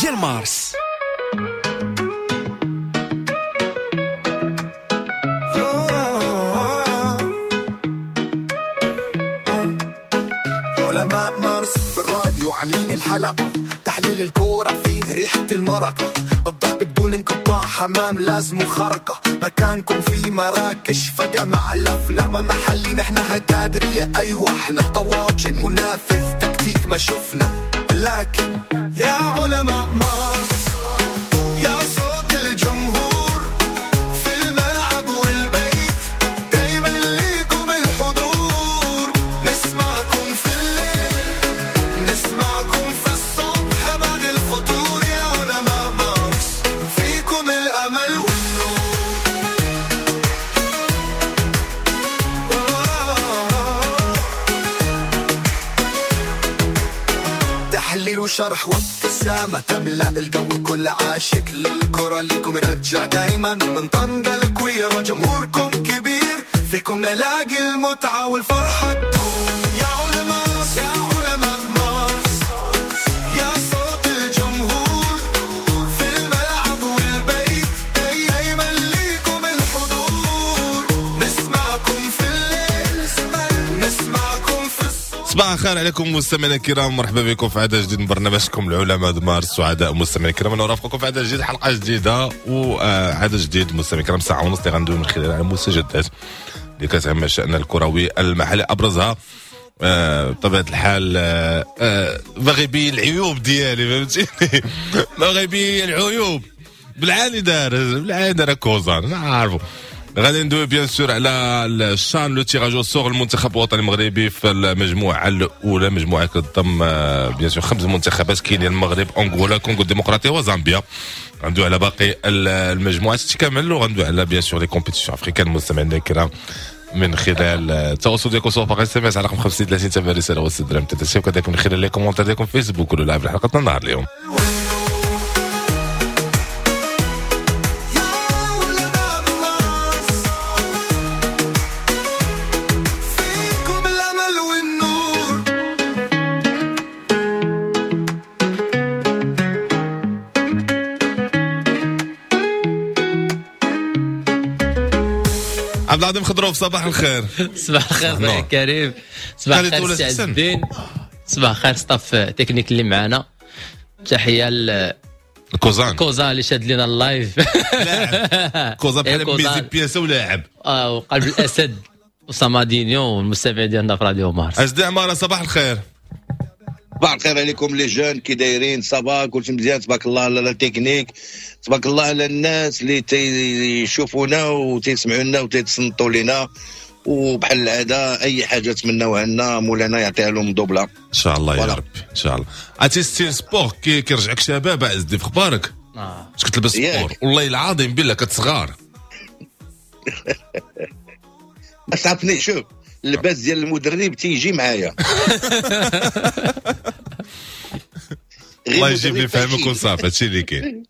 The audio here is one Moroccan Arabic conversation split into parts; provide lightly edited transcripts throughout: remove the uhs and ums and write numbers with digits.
ديال مارس. علماء مارس في الراديو عاملين الحلقة، تحليل الكورة فيه ريحة المرقة، الضحك بدون انقطاع، حمام لازم خرقة، مكانكم في مراكش فجأة مع الأفلام محلي، نحن هتادرية أيوة احنا طواجن منافذ تكتيك ما شفنا، لكن يا علماء مارس يا صوت الجمهور في الملعب والبيت، دايما ليكم الحضور، نسمعكم في الليل نسمعكم في الصبح بعد الفطور، يا علماء مارس فيكم الأمل والنور. تحليل وشرح وابتسامة تملأ الجو، كل عاشق للكرة ليكم رجع دايما، من طنجة الكويرة جمهوركم كبير، فيكم نلاقي المتعة والفرحة تدوم. يا علماء يا علماء مارس يا صوت الجمهور في الملعب والبيت، دايما ليكم الحضور، نسمعكم في الليل نسمعكم في الصبح. صباح الخير عليكم مستمعينا الكرام، مرحبا بكم في عدد جديد من برنامجكم العلماء مارس. سعداء مستمعينا الكرام انا نرافقكم في عدد جديد، حلقة جديدة وعدد جديد مستمعينا الكرام، ساعة ونص اللي غندوي من خلال على المستجدات اللي كتهم الشان الكروي المحلي، ابرزها بطبيعة الحال باغي يبين العيوب ديالي، فهمتيني؟ باغي يبين العيوب بالعاني دار بالعاني دار كوزان، انا عارفو. غادي ندوي bien sûr على الشان le tirage au sort المنتخب الوطني المغربي في المجموعة الاولى، مجموعة كتضم bien sûr 5 منتخبات، كاين المغرب، انغولا، كونغو الديمقراطية وزامبيا. غندوي على باقي المجموعات كامل، وغندوي على bien sûr les compétitions africaines المستمعين الكرام من خلال التواصل ديالكم سواء par SMS على رقم 50 30 تبع رسالة وست درهم 3، وكذلك من خلال les commentaires ديالكم في فيسبوك ولا live حلقتنا النهار اليوم. يا علماء مارس فيكم الأمل والنور. عبد العظيم خضروف صباح الخير. صباح الخير خويا كريم، صباح الخير سي عز الدين، صباح الخير staff technique اللي معنا، تحية كوزان كوزان اللي شاد لنا ال live، لاعب كوزان بحال ميزي بياسه ولاعب وقلب الاسد وصامادينيو والمستمع ديالنا في راديو مارس. اجدي عمارة صباح الخير. صباح الخير عليكم les jeunes، كي دايرين؟ ça va كلشي مزيان تبارك الله على la technique، تبارك الله على الناس اللي تيشوفونا وتيسمعونا وتيتصنتوا لينا، وبحال العادة اي حاجة تمناوها لنا مولانا يعطيها لهم دوبله ان شاء الله يا ربي ان شاء الله. عرفتي style sport كيرجعك شباب عز الدين، في اخبارك؟ اش كتلبس sport؟ والله العظيم بالله كتصغار. بس عرفني شوف اللباس ديال المدرب تيجي معايا. الله يجيب لي فهمك وصافي، هادشي اللي كاين.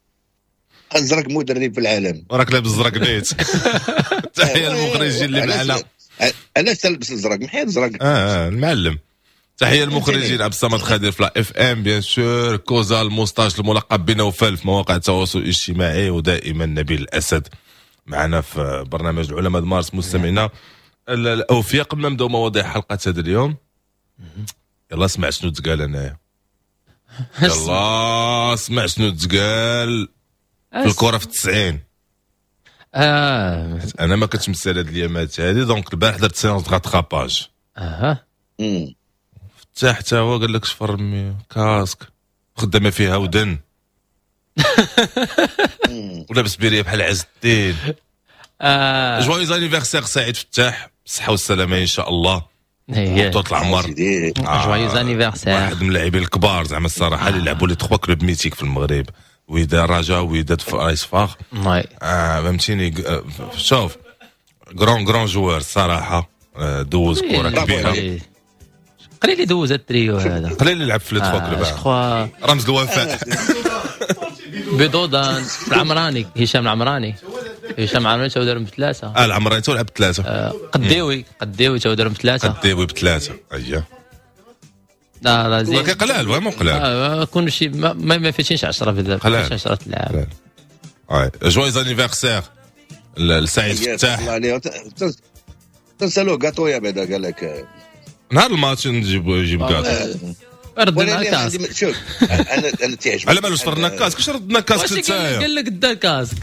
ازرق مدرب في العالم وراك لابس زرق نيت. تحية للمخرجين اللي معنا. علاش تلبس الزرق؟ محيت الزرق. المعلم. تحية للمخرجين عبد الصمد خادر في la FM bien sûr، كوزا ال moustache الملقب بنوفل في مواقع التواصل الاجتماعي، ودائما نبيل الاسد معنا في برنامج العلماء مارس. مستمعينا الاوفياء، قبل ما نبداو مواضيع حلقة هذا اليوم، يلا اسمع شنو تقال انايا. يلا اسمع شنو تقال في الكره في 90. انا ما كنتش مسال هاد اليامات هادي، donc البارح درت séance de rattrapage. فتح حتى هو قال لك شفر casque خدامه فيها ودن ولابس بيريه بحال عز الدين. joyeux anniversaire سعيد فتاح، بالصحة والسلامة ان شاء الله. بطولة العمر joyeux anniversaire، واحد من اللاعبين الكبار زعما الصراحة اللي لعبوا les 3 clubs mythiques في المغرب، وداد رجاء وداد رايس فاخ. فهمتيني؟ شوف grand grand joueur الصراحة، دوز كره كبيرة. قليل اللي دوز التريو هذا، قليل اللي لعب في les 3 clubs. رمز الوفاء بيضودان العمراني، هشام العمراني، هشام العمراني تا دارهم بثلاثة. العمراني تا لعب بثلاثة. قديوي تا دارهم بثلاثة. قديوي بثلاثة. اييه لا لا زين، ولكن قلال، vraiment قلال. كون شي ما فاتينش 10 في قلال. 10 لعاب. joyeux anniversaire لسعيد فتاح. الله عليه، تنسالوه كاطويا بعدا، قال لك نهار الماتش نجيب كاطو. ردنا casque. شوف انا تيعجبني. على بالو صفرنا casque، واش ردنا casque انت؟ قال لك دا casque.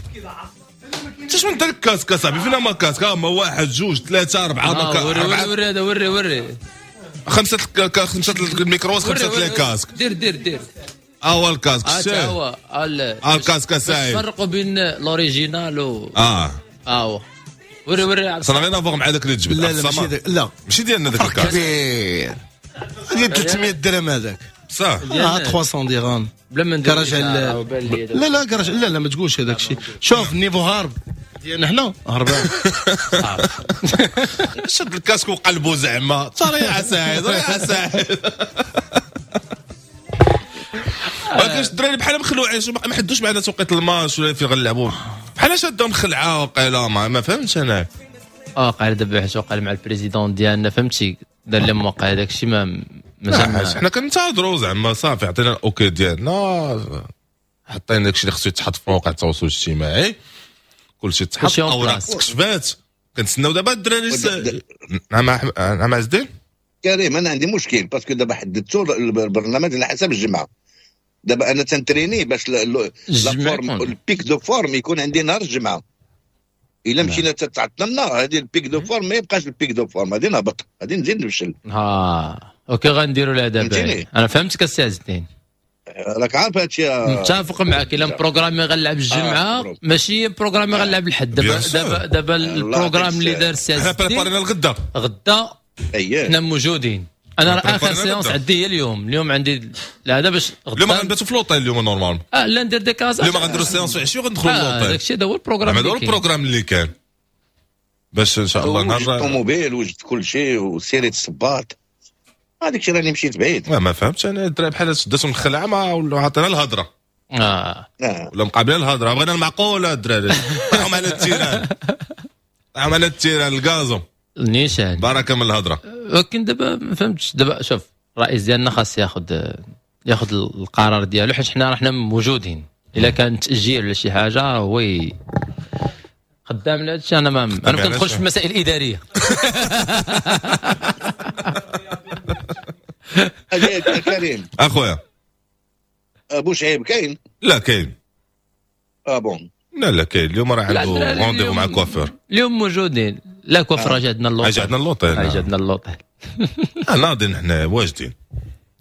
انت شنو دا casque اصاحبي؟ فينا ما casque؟ هما 1 2 3 4 وري وري هذا، وري وري 5 ال micros، 5 les casques. دير دير دير. هو ال casque، هو ال casque سعيد. فرقوا بين l'original و هو وري وري. ça n'a rien à voir مع داك اللي تجبد. لا لا ماشي، لا ماشي ديالنا داك ال casque. كبير ديال 300 درهم هذاك. بصح 300 درهم بلا ما ندير. لا لا كراج، لا لا ما تقولش هذاك الشيء. شوف ال niveau هارب ديالنا حنا هربان. شد ال casque وقلبو زعما ترى يا سعيد، يا سعيد. ولكن الدراري بحال مخلوعين، ما حدوش معنا توقيت الماتش ولا فين غنلعبوا، بحال شادهم خلعه وقيله ما فهمتش انا. قال دابا حيت وقع مع ال président ديالنا، فهمتي، دار لهم وقع هذاك الشيء. ما مازال حنا كنتظروا زعما صافي عطينا ال OK ديالنا، حطينا داكشي اللي خصو يتحط في مواقع التواصل الاجتماعي، كلشي تحط، اوراق تكشفات، كنتسناو دابا الدراري. نعم نعم عز الدين. كريم انا عندي مشكل parce que دابا حددتو البرنامج على حسب الجمعة. دابا انا تنتريني باش la forme، ال pic de forme يكون عندي نهار الجمعة. الا مشينا تتعطلنا هذه ال pic de forme ما يبقاش ال pic de forme، غادي نهبط، غادي نزيد نفشل. OK غنديروا لها دابا. انا فهمتك السي عز الدين، راك عارف هادشي. متفق معاك. الا programmé غنلعب الجمعة ماشي programmé غنلعب الحد. دابا دابا ال programme اللي دار السي عز الدين، حنا préparينا الغدا، غدا حنا موجودين. انا راه اخر séance عندي هي اليوم، اليوم عندي هذا باش غدا. اليوم غنباتوا في l'hôtel اليوم normal. لا ندير des cases. اليوم غنديروا séance في 10 وغندخلوا l'hôtel. داكشي هذا هو ال programme، هذا هو ال programme اللي كان باش ان شاء الله نهار الطوموبيل وجدت كل شيء وسيرة الصباط هذاك الشيء راني مشيت بعيد. ما فهمتش انا الدراري بحال شدتهم الخلعة ما ولا عطينا الهضرة. ولا مقابلين الهضرة، بغينا المعقولة الدراري. طيحهم على ال terrain، طيحهم على ال terrain ال gazon نيشان، بركة من الهضرة. ولكن دابا ما فهمتش. دابا شوف الرئيس ديالنا خاص ياخذ القرار ديالو، حيت حنا راه موجودين. الا كان تاجيل ولا شي حاجة هو خدام على هادشي. انا ما كندخلش في المسائل الادارية. كريم اخويا ابو شعيب كاين؟ لا كاين. bon لا لا كاين. اليوم راه عنده rendez-vous مع كوافور. اليوم موجودين. لا كوافور راه عندنا l'hôtel، عندنا l'hôtel، عندنا l'hôtel. ناضين حنا واجدين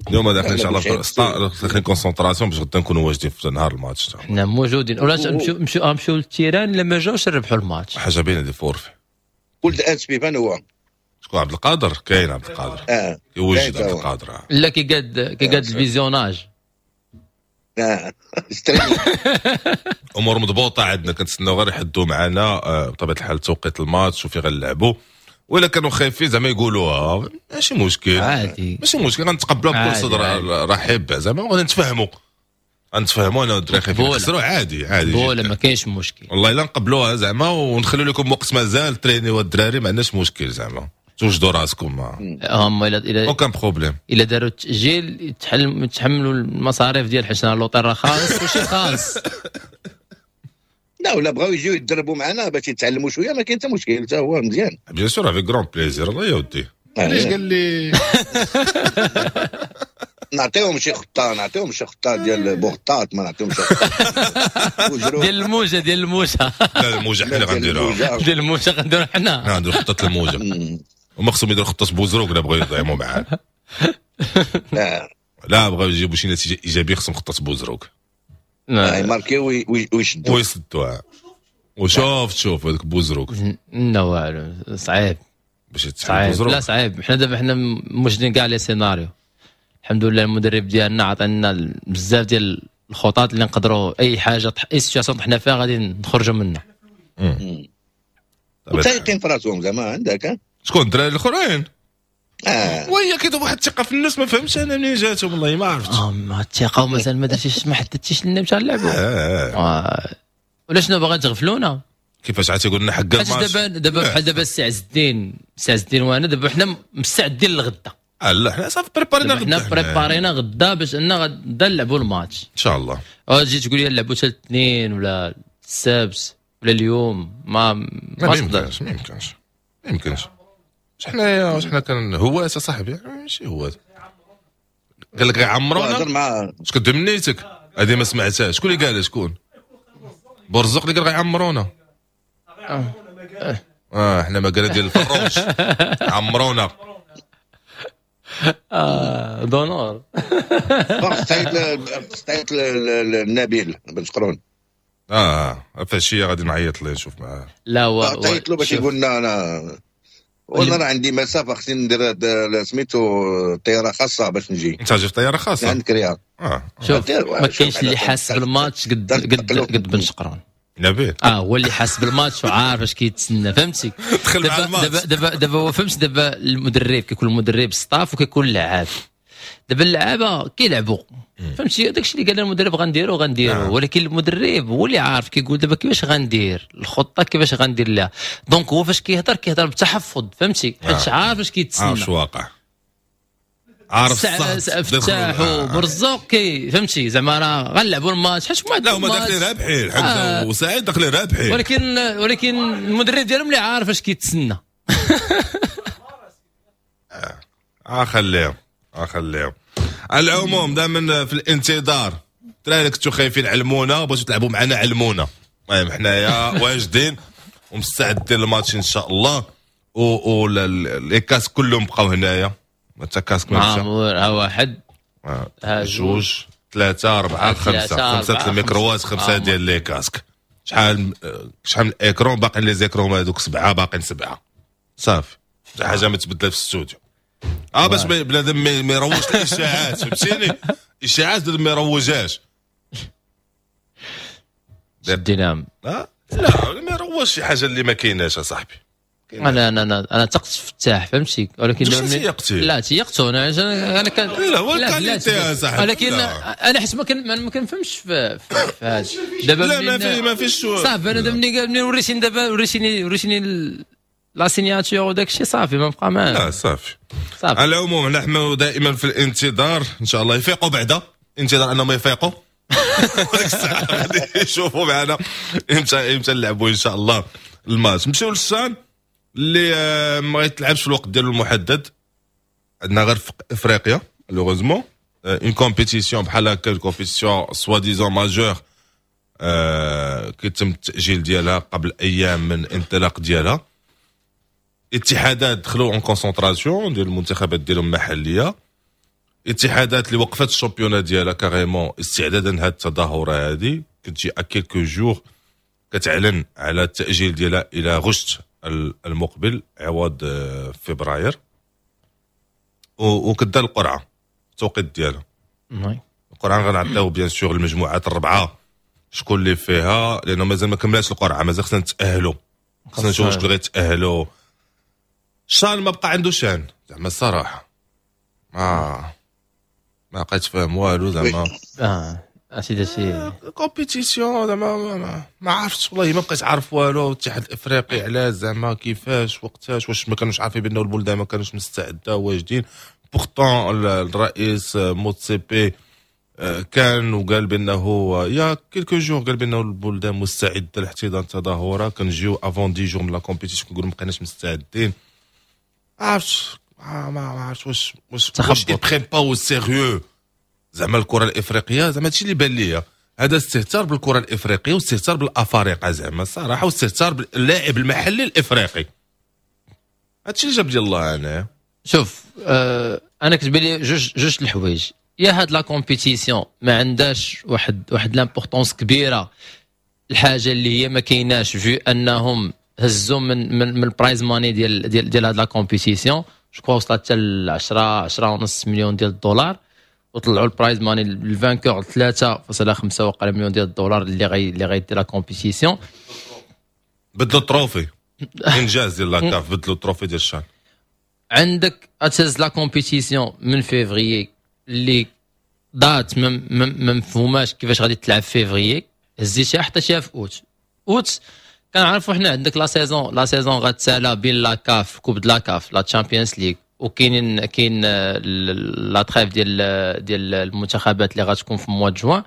اليوم، داخلين ان شاء الله داخلين concentration باش غدا نكونوا واجدين في نهار الماتش. حنا موجودين ولا نمشيو نمشيو لل terrain، لما جاوش نربحوا الماتش. حاجة باينة des forfaits. ولد اسبي فين هو؟ شكون؟ عبد القادر. كاين عبد القادر. يوجد عبد القادر. لا كيقاد ال visionnage. امور مضبوطة عندنا، كنتسناو غير يحدوا معنا بطبيعة الحال توقيت الماتش وفي غنلعبوا. ولا كانوا خايفين زعما يقولوها ماشي مشكل، عادي ماشي مشكل، غنتقبلوها بكل صدر رحب زعما، وغادي نتفاهموا انا والدراري خايفين يخسروا عادي عادي ولا ما كاينش مشكل والله. الا نقبلوها زعما ونخلوا لكم وقت مازال ترينيو الدراري، ما عندناش مشكل زعما، توجدوا راسكم. هما الى aucun problème. الا داروا التاجيل يتحملوا المصاريف ديال حيت l'hôtel راه خالص كلشي خالص. لا ولا بغاو يجيو يتدربوا معنا باش يتعلموا شوية، ما كاين حتى مشكل، حتى هو مزيان. bien sûr avec grand plaisir. الله يودي. علاش قال لي نعطيهم شي خطه، نعطيهم شي خطه ديال بوغطاط، ما نعطيهمش ديال الموجه، ديال الموجه. لا الموجه حنا اللي غنديروها، ديال الموجه غنديروها حنا، غنديروا خطه الموجه. وما خصهم يديروا خطه بوزروك الا بغاو يطعموا معانا. لا بغاو يجيبوا شي نتيجة ايجابية خصهم خطه بوزروك، يماركيو ويشدوا ويسدوها. وشوف تشوف هذاك بوزروك لا والو صعيب باش يتسحب بوزروك. لا صعيب. حنا دابا حنا موجدين كاع les scénarios الحمد لله. المدرب ديالنا عطانا بزاف ديال الخطط اللي نقدروا اي حاجة اي situation طحنا فيها غادي نخرجوا منها. وتايقين في راسهم زعما عندك. شكون الدراري الاخرين؟ وهي كيديروا واحد الثقة في النفس، ما فهمتش انا منين جاتهم والله ما عرفت. ما الثقة ومازال ما درتيش، ما حددتيش لنا باش نلعبوا. ولا شنو باغا تغفلونا؟ كيفاش عاد تيقول لنا حق الماتش؟ دابا بحال دابا السي عز الدين، السي عز الدين وانا دابا حنا مستعدين للغدا. لا حنا صافي préparينا غدا، حنا préparينا غدا باش ان غدا نلعبوا الماتش ان شاء الله. تجي تقول لي نلعبوا حتى الاثنين ولا السبت ولا اليوم، ما تقدرش. ما يمكنش ما يمكنش. حنايا واش حنا كان هو صاحبي ماشي هو قال لك غيعمرونا. اش كدوي من نيتك؟ هذه ما سمعتهاش. شكون اللي قالها؟ شكون؟ برزق اللي قال غيعمرونا. حنا ما قال ديال الفروش عمرونا. دونور. تعيط للنبيل بن شقرون. فالشيء غادي نعيط ليه نشوف معاه. لا هو تعيط له باش يقول لنا انا والله راه عندي مسافة خصني ندير سميتو طيارة خاصة باش نجي. انت جاي في طيارة خاصة؟ عندك رياض. شوف ما كاينش اللي حاس بالماتش قد قد قد بن شقرون. نبيل هو اللي حاس بالماتش وعارف اش كيتسنى، فهمتي؟ دابا دابا دابا هو فهمت. دابا المدرب كيكون المدرب staff وكيكون اللعاب. دابا اللعابه كيلعبوا، فهمتي؟ داكشي اللي قال المدرب غنديرو غنديرو، ولكن المدرب هو اللي عارف كيقول دابا كيفاش غندير الخطة، كيفاش غندير لها. donc هو فاش كيهضر كيهضر بتحفظ، فهمتي؟ حيت عارف اش كيتسنى، عارف واقع، عارف الصح. فتاح وبرزوق كي فهمتي زعما راه غنلعبوا الماتش حيت لا هما داخلين رابحين، حمزة وسعيد داخلين رابحين، ولكن المدرب ديالهم اللي عارف اش كيتسنى. خليهم خليهم. على العموم دائما في الانتظار. الدراري كنتو خايفين علمونا، بغيتو تلعبوا معنا علمونا. المهم حنايا واجدين ومستعدين للماتش ان شاء الله. و les casques كلهم بقاو هنايا، حتى casque ما مشى. واحد جوج ثلاثة أربعة خمسة، خمسة الميكروات، خمسة ديال les casques. شحال من écran باقيين؟ les écrans هذوك سبعة، باقيين سبعة. صافي حتى حاجة ما تبدل في الاستوديو. باش بنادم ما يروجش الاشاعات، فهمتيني؟ اشاعات بنادم ما يروجهاش. شدينا. لا ما يروجش شي حاجة اللي ما كايناش اصاحبي. انا انا انا تقت فتاح، فهمتي؟ ولكن لا تيقتو انا كان لا هو qualité صاحبي، ولكن انا حيت ما كنفهمش في هذا دابا. لا ما فيش صافي. انا دابا ملي وريتيني دابا وريتيني la signature وداك الشيء صافي ما بقى ما لا صافي. على العموم نحن دائما في الانتظار ان شاء الله يفيقوا بعدا، انتظار انهم يفيقوا ديك الساعة غادي يشوفوا معنا امتى نلعبوا ان شاء الله الماتش. نمشيو للشان اللي ما غيتلعبش في الوقت ديالو المحدد. عندنا غير في افريقيا malheureusement une compétition بحال هكا، compétition soi-disant majeure، كيتم التاجيل ديالها قبل ايام من الانطلاق ديالها. اتحادات دخلوا en concentration ديال المنتخبات ديالهم المحلية، اتحادات اللي وقفت ال championnat ديالها carrément استعدادا لهاد التظاهرة هذه، كتجي à quelques jours كتعلن على التاجيل ديالها الى غشت المقبل عوض فبراير، وكدار القرعة التوقيت ديالها. القرعة غنعطيو bien sûr المجموعات الاربعة شكون اللي فيها، لانه مازال ما كملاتش القرعة، مازال خصنا نتاهلوا، خصنا نشوفوا شكون غيتاهلوا. شان ما بقى عنده شان زعما الصراحة، ما بقيت فاهم والو زعما. اسيدي سي compétition زعما ما عرفتش والله، ما بقيت عارف والو. الاتحاد الافريقي علاش زعما كيفاش وقتاش، واش ما كانوش عارفين بانه البلدان ما كانوش مستعدة واجدين. pourtant الرئيس موتسيبي كان وقال بانه il y a quelques jours قال بانه البلدان مستعدة لاحتضان التظاهرة. كنجيو avant 10 jours من la compétition كنقولوا ما بقيناش مستعدين. عرفتش ما عرفتش واش واش ils prennent pas au sérieux زعما الكره الافريقية. زعما هادشي اللي بان ليا، هذا استهتار بالكرة الافريقية واستهتار بالافارقه زعما الصراحة، واستهتار باللاعب المحلي الافريقي. هادشي اللي جاب لي الله. انا شوف انا كتبان لي جوج الحوايج. يا هاد la compétition ما عندهاش واحد l'importance كبيرة، الحاجة اللي هي ما كايناش vu انهم هزوا من ال prize money ديال ديال ديال هاد la compétition، je crois وصلت حتى ل 10.5 مليون ديال الدولار، وطلعوا ال prize money ال vainqueur 3.5 وقال مليون ديال الدولار اللي غيدير la compétition. بدلوا ال trophée، انجاز ديال la CAF، بدلوا ال trophée ديال الشان. عندك اتهز la compétition من فيفريي اللي date ما مفهوماش كيفاش غادي تلعب فيفريي، هزيتيها حطيتيها في اوت. اوت كنعرفوا حنا عندك la saison غتسالى بين la CAF، coupe de la CAF، la Champions League وكاينين كاين la trêve ديال المنتخبات اللي غتكون في mois de juin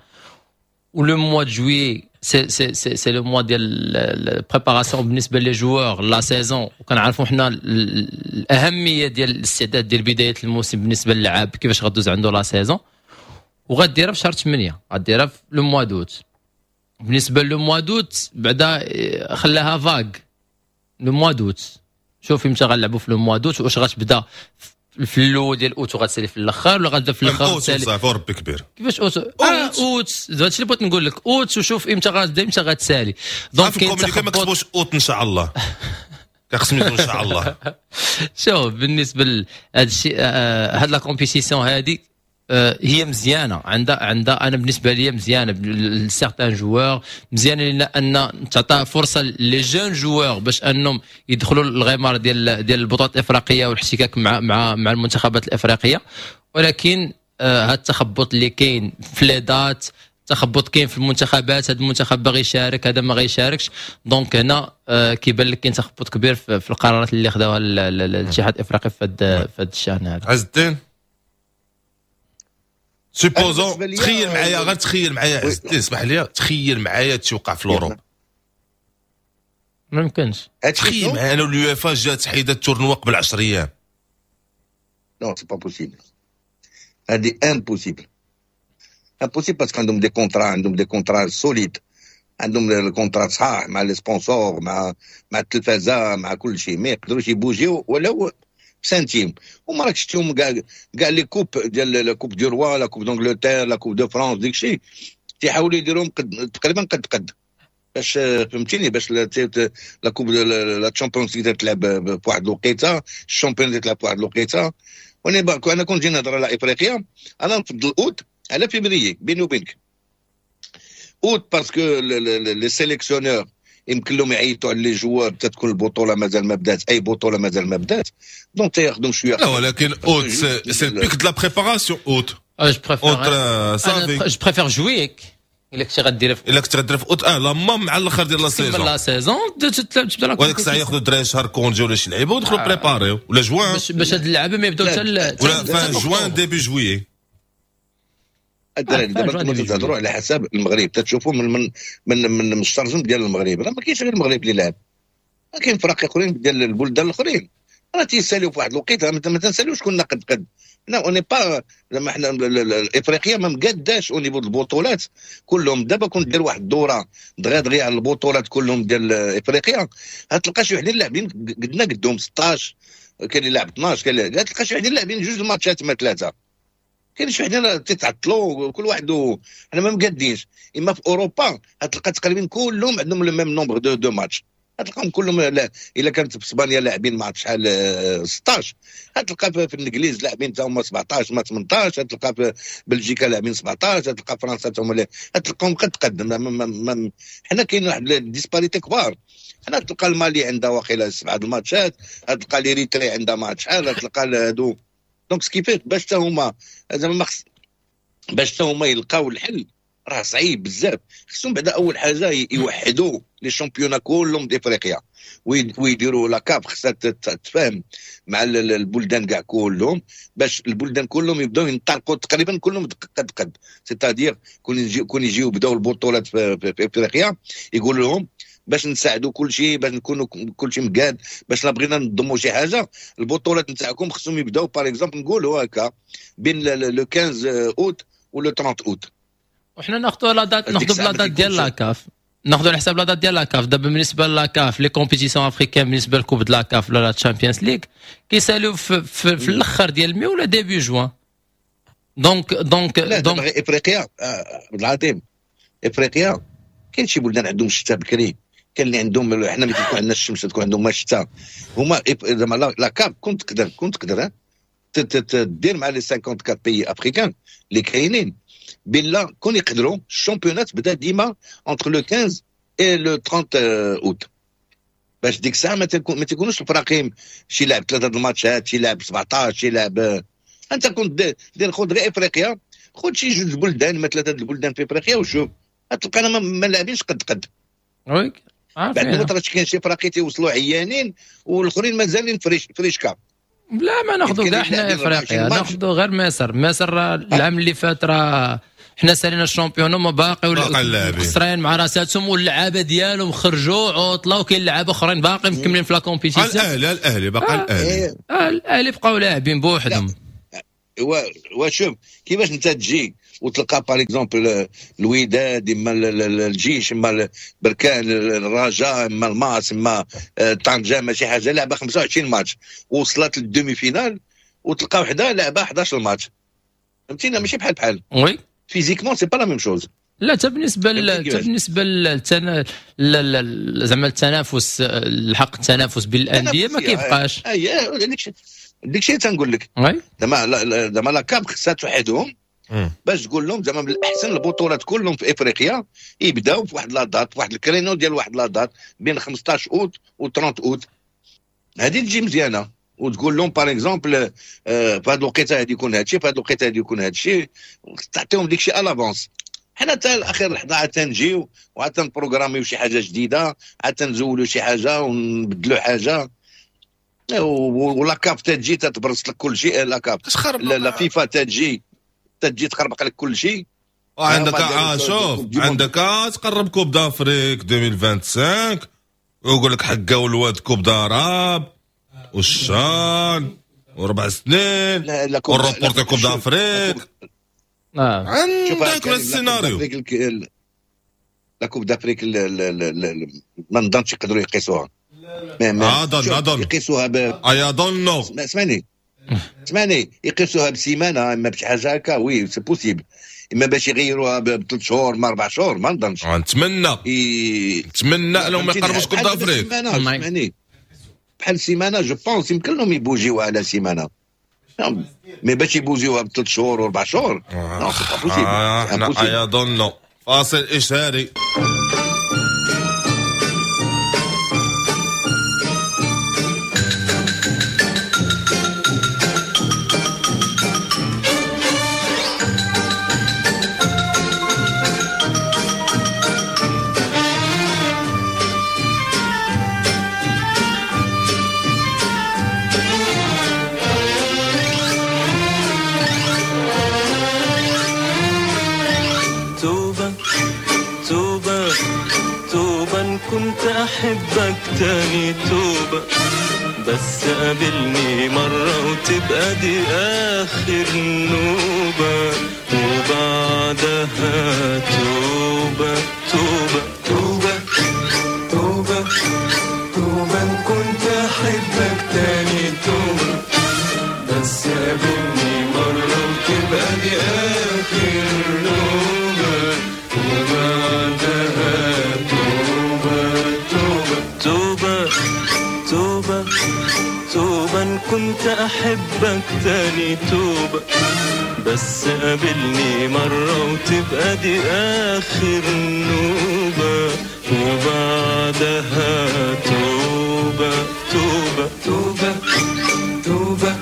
و le mois de juillet c'est le mois ديال ال préparation بالنسبة les joueurs la saison. وكنعرفوا حنا الاهمية ديال الاستعداد ديال بداية الموسم بالنسبة للاعب، كيفاش غدوز عنده la saison. وغديرها في شهر 8، غديرها في le mois d'août. بالنسبة le mois d'août بعدا خلاها vague le mois d'août. شوف امتى غنلعبوا في le mois d'août، واش غتبدا في الاول ديال اوت وغتسالي في الاخر، ولا غتبدا في الاخر؟ اوت صافي وربي كبير. كيفاش اوت؟ اوت هادشي اللي بغيت نقول لك، اوت وشوف امتى غتبدا امتى غتسالي. donc كاين ما كتبوش اوت ان شاء الله، كنقسم ان شاء الله. شوف، بالنسبة لهذا الشيء، هاد la compétition هادي هي مزيانه، عندها انا بالنسبة لي مزيانه ل certains joueurs، مزيانه لان تعطى فرصة les jeunes joueurs باش انهم يدخلوا الغمار ديال البطولات الافريقية والاحتكاك مع المنتخبات الافريقيه. ولكن هذا التخبط اللي كاين في les dates، تخبط كاين في المنتخبات، هذا المنتخب باغي يشارك، هذا ما غيشاركش. donc هنا كيبان لك كاين تخبط كبير في القرارات اللي خداوها الاتحاد الافريقي في هذا الشان هذا. عز الدين، supposons تخيل معايا، غير تخيل معايا عز الدين، اسمح لي، تخيل معايا توقع في l'Europe. ما يمكنش. تخيل معايا انا اليوفا جات حيدت ال tournoi قبل 10 ايام. non، c'est pas possible، هادي impossible، impossible، parce que عندهم des contrats، عندهم des contrats solides، عندهم ال contrats صحاح مع les sponsors، مع التلفازه، مع كل شيء. ما يقدروش يبوجيو ولو سنتيم. وما راك شفتيهم كاع les coupes ديال la coupe du roi، la coupe d'Angleterre، la coupe de France، ديك الشيء تيحاولوا يديروهم تقريبا قد قد، باش فهمتيني، باش la coupe، la Champions League تلعب في واحد الوقيته، ال champion تلعب في واحد الوقيته. وانا انا كنت جينا نهضر على افريقيا، انا نفضل اوت على فيفري بيني وبينك. août parce que les sélectionneurs يمكن لهم يعيطوا على les joueurs، تكون البطولة مازال ما بدات، اي بطوله مازال ما بدات، donc تياخذوا شويه. لا، ولكن août c'est le pic de la préparation، août. je préfère je préfère juillet الا كنتي غدير في الا كنتي غدير في اوت، لا مع الاخر ديال la saison. la saison تبدا. وهذيك الساعة ياخذوا الدراري شهر congé ولا شي لعيبة ويدخلوا préparer ولا جوان. باش هاد اللعابه ما يبداو حتى ولا fin juin début juillet. الدراري، دابا انتم تهضروا على حساب المغرب، تتشوفوا من الشرجم ديال المغرب. راه ما كاينش غير المغرب اللي لعب، كاين فرق اخرين ديال البلدان الاخرين راه تيساليو في واحد الوقيته. ما تنساليوش كنا قد قد، حنا on est pas زعما حنا الافريقيا ما مقاداش au niveau البطولات كلهم. دابا كنت دير واحد الدورة دغيا دغيا على البطولات كلهم ديال افريقيا، غتلقى شي وحدين لاعبين قدنا قدهم 16، كاين اللي لاعب 12، كاين اللي تلقى شي وحدين لاعبين جوج الماتشات ما ثلاثه، كاين شي وحدين تيتعطلوا كل واحد. حنا ما مقادينش. اما في اوروبا غتلقى تقريبا كلهم عندهم le même nombre de matchs، غتلقاهم كلهم. لا، الا كانت في اسبانيا لاعبين ما عرفت شحال 16، غتلقى في الانجليز لاعبين تا هما 17 ما 18، غتلقى في بلجيكا لاعبين 17، غتلقى فرنسا تا هما، غتلقاهم قد قد. حنا كاين واحد disparités كبار. حنا تلقى المالي عندها واقيلا سبعة الماتشات، غتلقى l'Érythrée عندها ما شحال، غتلقى هادو. donc ce qui fait باش تا هما زعما ما باش تا هما يلقاو الحل راه صعيب بزاف. خصهم بعدا اول حاجة يوحدوا les championnats كلهم d'Afrique ويديروا la CAF، خصها تتفاهم مع البلدان كاع كلهم باش البلدان كلهم يبداو ينطلقوا تقريبا كلهم قد قد، c'est-à-dire كون يجيو بداو البطولات في افريقيا، يقول لهم باش نساعدوا كل شيء، باش نكونوا كل شيء مقاد، باش لا بغينا نضموا شي حاجه، البطولات نتاعكم خصهم يبداو par exemple نقولوا هكا بين le 15 اوت و le 30 اوت. وحنا ناخذوا la date، ناخذوا la date ديال la CAF، ناخذوا على حساب la date ديال la CAF. دابا بالنسبة la CAF، les compétitions africaines، بالنسبة ل coupe de la CAF ولا la Champions League كيسالوا في الاخر ديال مي ولا début juin، donc donc افريقيا عبد العظيم، افريقيا كاين شي بلدان عندهم الشتاء بكري، كاين اللي عندهم، حنا ملي تكون عندنا الشمس تكون عندهم الشتاء هما. زعما la CAF كنت تقدر دير مع les 54 pays africains اللي كاينين بلا كون يقدروا ال championnat بدا ديما entre le 15 et le 30 اوت، باش ديك الساعة ما تكونوش الفراقيم شي لاعب ثلاثة الماتشات، شي لاعب 17، شي لاعب. انت كنت دير خذ غير افريقيا، خذ شي جوج بلدان ما ثلاثة البلدان في افريقيا وشوف تلقانا ما لاعبينش قد قد. oui. بعد ما كاين شي فراقي تيوصلوا عيانين والاخرين مازالين fraîches فريشكا. لا ما ناخذوا كاع حنا افريقيا، ناخذوا غير مصر. مصر العام اللي فات راه حنا سالينا ال championnat ما باقي خسرين مع راساتهم، واللعابه ديالهم خرجوا عطله، وكاين لعابه اخرين باقي مكملين في la compétition. الاهلي باقي الاهلي الاهلي بقاو لاعبين بوحدهم. وشوف كيفاش انت تجي وتلقى par exemple الوداد اما الجيش اما بركان الرجاء اما الماس اما طنجه ما شي حاجة لعبه 25 ماتش وصلت لل demi-finale، وتلقى وحده لعبه 11 ماتش. فهمتينا؟ ماشي بحال بحال. oui physiquement c'est pas la même chose. لا حتى بالنسبة بالنسبة زعما التنافس، الحق التنافس بين الاندية ما كيبقاش. اي داك الشيء تنقول لك زعما la CAF خصها توحدهم باش تقول لهم زعما من الاحسن البطولات كلهم في افريقيا يبداو في واحد la date، واحد ال créneau ديال واحد la date بين 15 اوت و 30 اوت. هذه تجي مزيانه وتقول لهم par exemple في هذه الوقيته هذه يكون هذا الشيء، في هذه الوقيته هذه يكون هذا الشيء، تعطيهم ديك الشيء à l'avance. حنا حتى الاخير لحظة عاد تنجيو وعاد تنبروغراميو شي حاجة جديدة، عاد تنزولوا شي حاجة ونبدلوا حاجة، و la CAF تجي تتبرص لك كل شيء. la CAF la FIFA تجي تخربق لك كل شيء. عندك شوف عندك تقرب Coupe d'Afrique 2025 ويقول لك حقا والواد Coupe d'Arabe والشان وربع سنين و reporter Coupe d'Afrique. عندك السيناريو la Coupe d'Afrique ما نظنش يقدروا يقيسوها. اظن يقيسوها I don't know. اسمعني يقيسوها بسيمانه اما بشي حاجة هكا oui c'est possible، اما باش يغيروها بثلاث شهور ما 4 شهور ما نظنش. نتمنى انهم ما يقربوش Coupe d'Afrique. اسمعني بحال سيمانه je pense يمكن لهم يبوجيوها على سيمانه، mais باش يبوجيوها بثلاث شهور واربع شهور non c'est pas possible. I don't know. فاصل اشهاري. كنت أحبك تاني توبة، بس قابلني مرة وتبقى دي آخر نوبة، وبعدها توبة توبة توبة توبة توبة. كنت أحبك تاني توبة، بس قابلني مرة وتبقى دي آخر نوبة، وبعدها توبة توبة توبة. كنت أحبك تاني توبة، بس قابلني مرة وتبقى دي آخر نوبة، وبعدها توبة توبة توبة توبة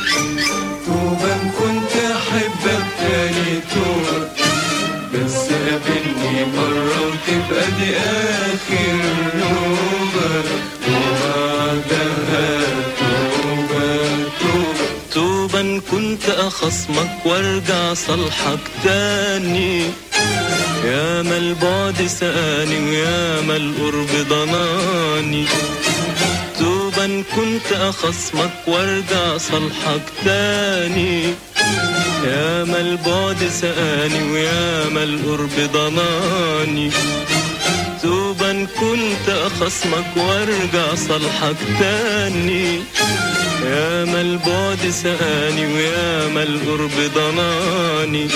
توبة. كنت أحبك تاني توبة، بس قابلني مرة وتبقى دي آخر نوبة، وبعدها توبة توبة توبة. كنت أخصمك وارجع صالحك تاني، يا ما البعد سقاني ويا ما القرب ضناني. توبة كنت أخصمك وارجع صالحك تاني، يا ما البعد سقاني ويا ما القرب ضناني. توبة كنت أخصمك وارجع صالحك تاني، يا ما البعد سقاني ويا ما القرب ضناني.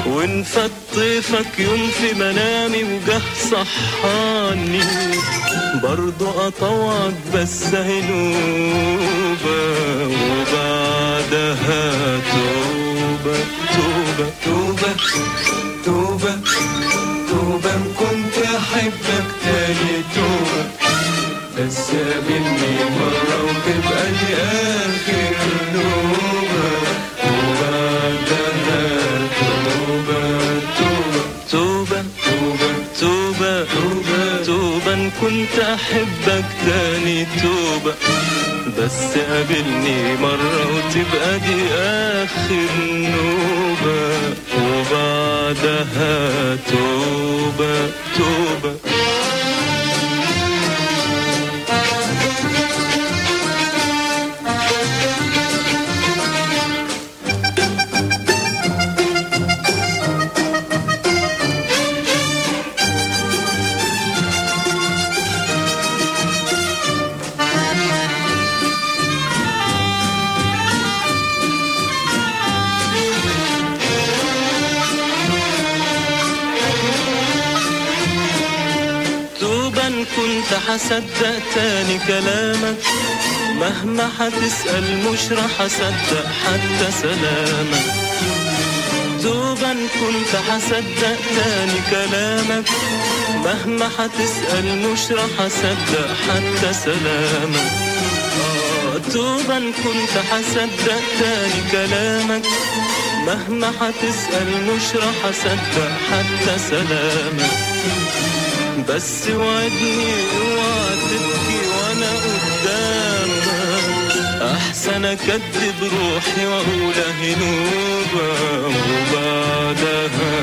وانفت طيفك يوم في منامي وجه صحاني، برضو أطوعك بس هنوبة، وبعدها توبة توبة توبة توبة توبة. كنت أحبك تاني توبة، بس قابلني مرة وتبقى دي آخر نوبة، وبعدها توبة توبة توبة توبة توبة توبة. كنت احبك تاني توبة، بس قابلني مرة وتبقى دي اخر نوبة، وبعدها توبة توبة. كنت حصدق تاني كلامك، مهما حتسأل مش راح أصدق حتى سلامك. دوبا كنت حصدق تاني كلامك، مهما حتسأل مش راح أصدق حتى سلامك. دوبا كنت حصدق تاني كلامك، مهما حتسأل مش راح أصدق حتى سلامك. بس وعدني اوعى تبكي وانا قدامك، احسن اكدب روحي واقول اهي نوبه، وبعدها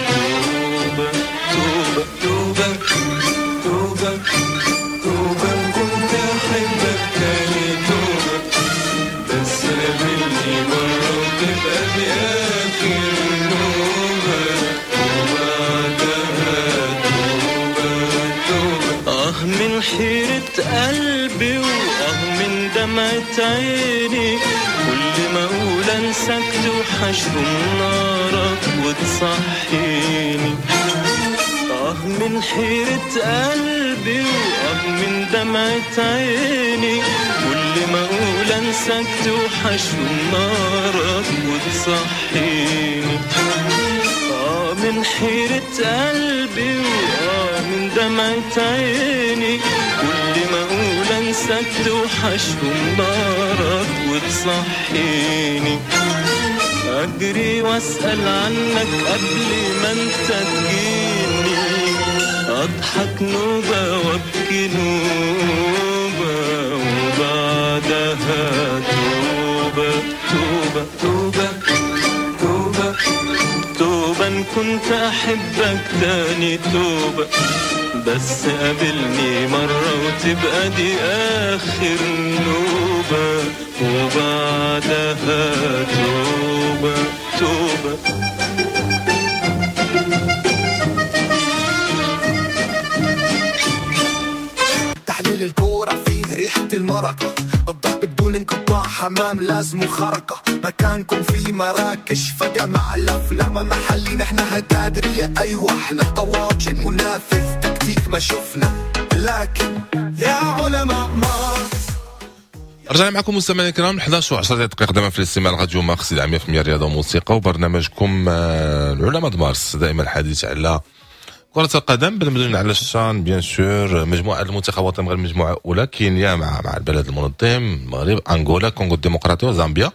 توبه توبه توبه توبه توبه. كنت احبك تاني توبه، بس قابلني مرة وتبقى دي اخر نوبه، وبعدها آه من حيرة قلبي وآه من دمعة عيني، كل ما أقول أنساك توحشهم نارك وتصحيني. آه من حيرة قلبي وآه من دمعة عيني، كل ما أقول أنساك توحشهم نارك وتصحيني. آه من حيرة قلبي وآه من دمعة عيني، كل ما أقول أنساك توحشهم نارك وتصحيني. أجري وأسأل عنك قبل ما أنت تجيني، أضحك نوبة وأبكي نوبة، وبعدها توبة توبة توبة توبة توبة. إن كنت أحبك تاني توبة، بس قابلني مرة وتبقى دي آخر نوبة، وبعدها توبة توبة. تحليل الكورة فيه ريحة المرقة، الضرب بدون انقطاع، حمام لازم خرقة، مكانكم في مراكش فجأة مع الأفلام محلي، نحن هتادرية أيوة احنا طواجن منافذ تكتيك ما شفنا، لكن يا علماء مارس. رجعنا معكم مستمعينا الكرام 11 و10 دقائق دائما في الاستماع راديو مارس 100% رياضة وموسيقى، وبرنامجكم العلماء مارس، دائما الحديث على كرة القدم بالمدن على الشان bien sûr. مجموعة المنتخبات المغرب المجموعة الأولى كينيا مع البلد المنظم المغرب، أنغولا، كونغو الديمقراطية وزامبيا.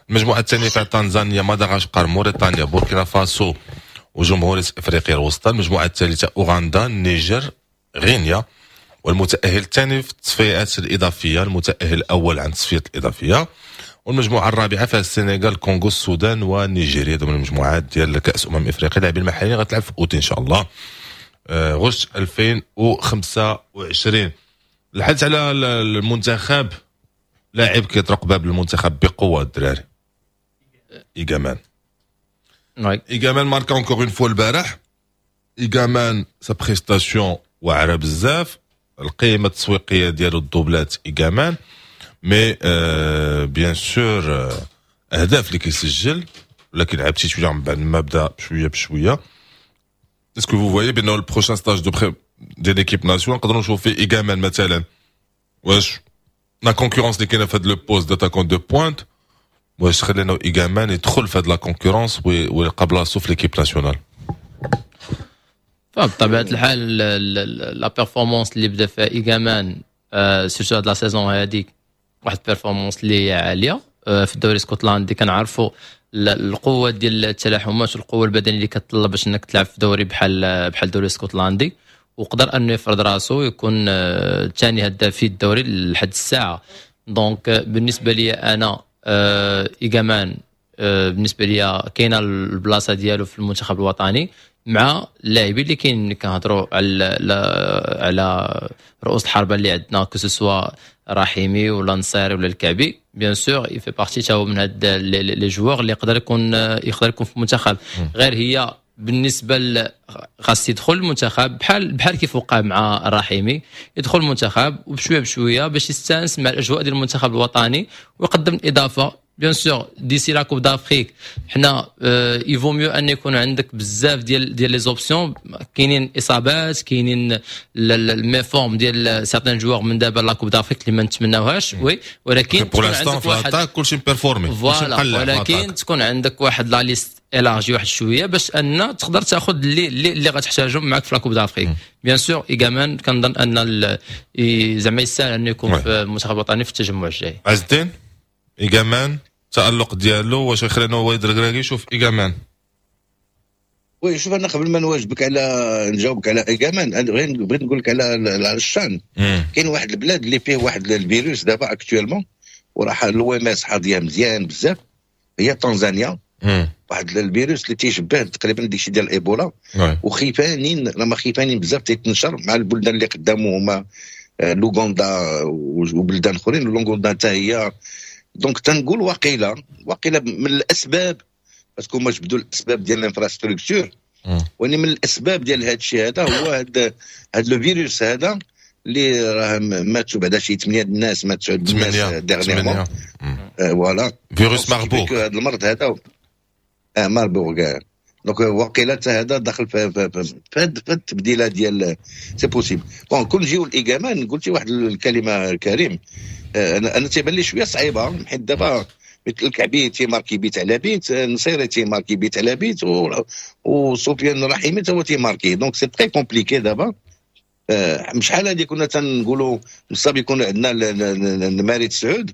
المجموعة الثانية فيها تنزانيا، مدغشقر، موريتانيا، بوركينا فاسو وجمهورية أفريقيا الوسطى. المجموعة الثالثة أوغندا، النيجر، غينيا. والمتأهل الثاني في التصفيات الإضافية، المتأهل الأول عن التصفيات الإضافية. والمجموعة الرابعة فيها السنغال، كونغو، السودان ونيجيريا. ضمن المجموعات ديال كأس أمم إفريقيا. اللاعبين المحليين غتلعب في أوت إن شاء الله غشت 2025. الحديث على المنتخب، لاعب كيطرق باب المنتخب بقوة الدراري، إيغامان. إيغامان marqua encore une fois البارح. إيغامان sa prestation واعرة بزاف، القيمة التسويقية ديالو الدوبلات إيغامان، mais bien sûr اهداف اللي كيسجل، ولكن لعب شي شوية من بعد ما بدا بشوية بشوية. est-ce que vous voyez بانه ال prochain stage de pré ديال l'équipe nationale نقدروا نشوفوا فيه ايغامان مثلا؟ واش la concurrence اللي كاينه في هذا le poste d'attaquant de pointe، واش خلينا ايغامان يدخل في هذا la concurrence ويلقى بلاصتو في l'équipe nationale؟ فبطبيعه الحال la performance اللي بدا فيها ايغامان surtout هاد la saison هذيك، واحد performance اللي هي عالية في الدوري الاسكتلندي. كنعرفوا القوة ديال التلاحمات والقوه البدنية اللي كتطلب باش انك تلعب في دوري بحال الدوري الاسكتلندي. وقدر انه يفرض راسو ويكون ثاني هداف في الدوري لحد الساعه. donc بالنسبة لي انا ايغامان بالنسبة لي كاينه البلاصة ديالو في المنتخب الوطني مع اللاعبين اللي كاين، اللي كنهضروا على رؤوس الحربة اللي عندنا، que ce soit رحيمي ولا نصيري ولا الكعبي. bien sûr il fait partie تا هو من هاد les joueurs اللي يقدر يكون في المنتخب. غير هي بالنسبة خاص يدخل المنتخب بحال كيف وقع مع الرحيمي، يدخل المنتخب وبشويه بشوية باش يستانس مع الاجواء ديال المنتخب الوطني ويقدم الاضافه. bien sûr d'ici la Coupe d'Afrique حنا il vaut mieux ان يكون عندك بزاف ديال les options. كاينين اصابات، كاينين ال méforme ديال certains joueurs من دابا la Coupe d'Afrique اللي ما نتمناوهاش، oui، ولكن pour l'instant في l'attaque كلشي performé. voilà، ولكن تكون عندك واحد la liste élargie واحد شوية باش ان تقدر تاخذ اللي غتحتاجهم معك في la Coupe d'Afrique. bien sûr ايغامان كنظن ان زعما يستاهل انه يكون في المنتخب الوطني في التجمع الجاي. عز الدين، ايغامان التالق ديالو واش يخلينا وليد الركراكي يشوف ايغامان؟ oui، شوف، انا قبل ما نواجبك على نجاوبك على ايغامان، غير بغيت نقول لك على الشان. كاين واحد البلاد اللي فيه واحد الفيروس دابا actuellement وراه l'OMS حاضيه مزيان بزاف، هي تنزانيا. واحد الفيروس اللي تيشبه تقريبا ديك ديال الايبولا وخيفانين، راهم خيفانين بزاف تيتنشر مع البلدان اللي قدامه هما لوغندا وبلدان اخرين. لوغندا حتى هي. donc تنقول واقيلا من الاسباب، parce que هما جبدوا الاسباب ديال l'infrastructure، ولكن من الاسباب ديال هذا الشيء هذا هو هذا le virus هذا اللي راه ماتوا بعدا شي 8 الناس، ماتوا الناس dernièrement. voilà. فيروس ماربورغ. هذا المرض هذا ماربورغ. donc واقيلا حتى هذا دخل في التبديله ديال، c'est possible. bon، كون نجيو الايغامان، قلتي واحد الكلمة كريم، انا تيبان لي شوية صعيبه، حيت دابا مثل الكعبي تيماركي بيت على بيت، نصيري تيماركي بيت على بيت، وسفيان رحيمي تا هو تيماركي، donc c'est très compliqué. دابا شحال هادي كنا تنقولوا مصاب يكون عندنا النماري تسعود،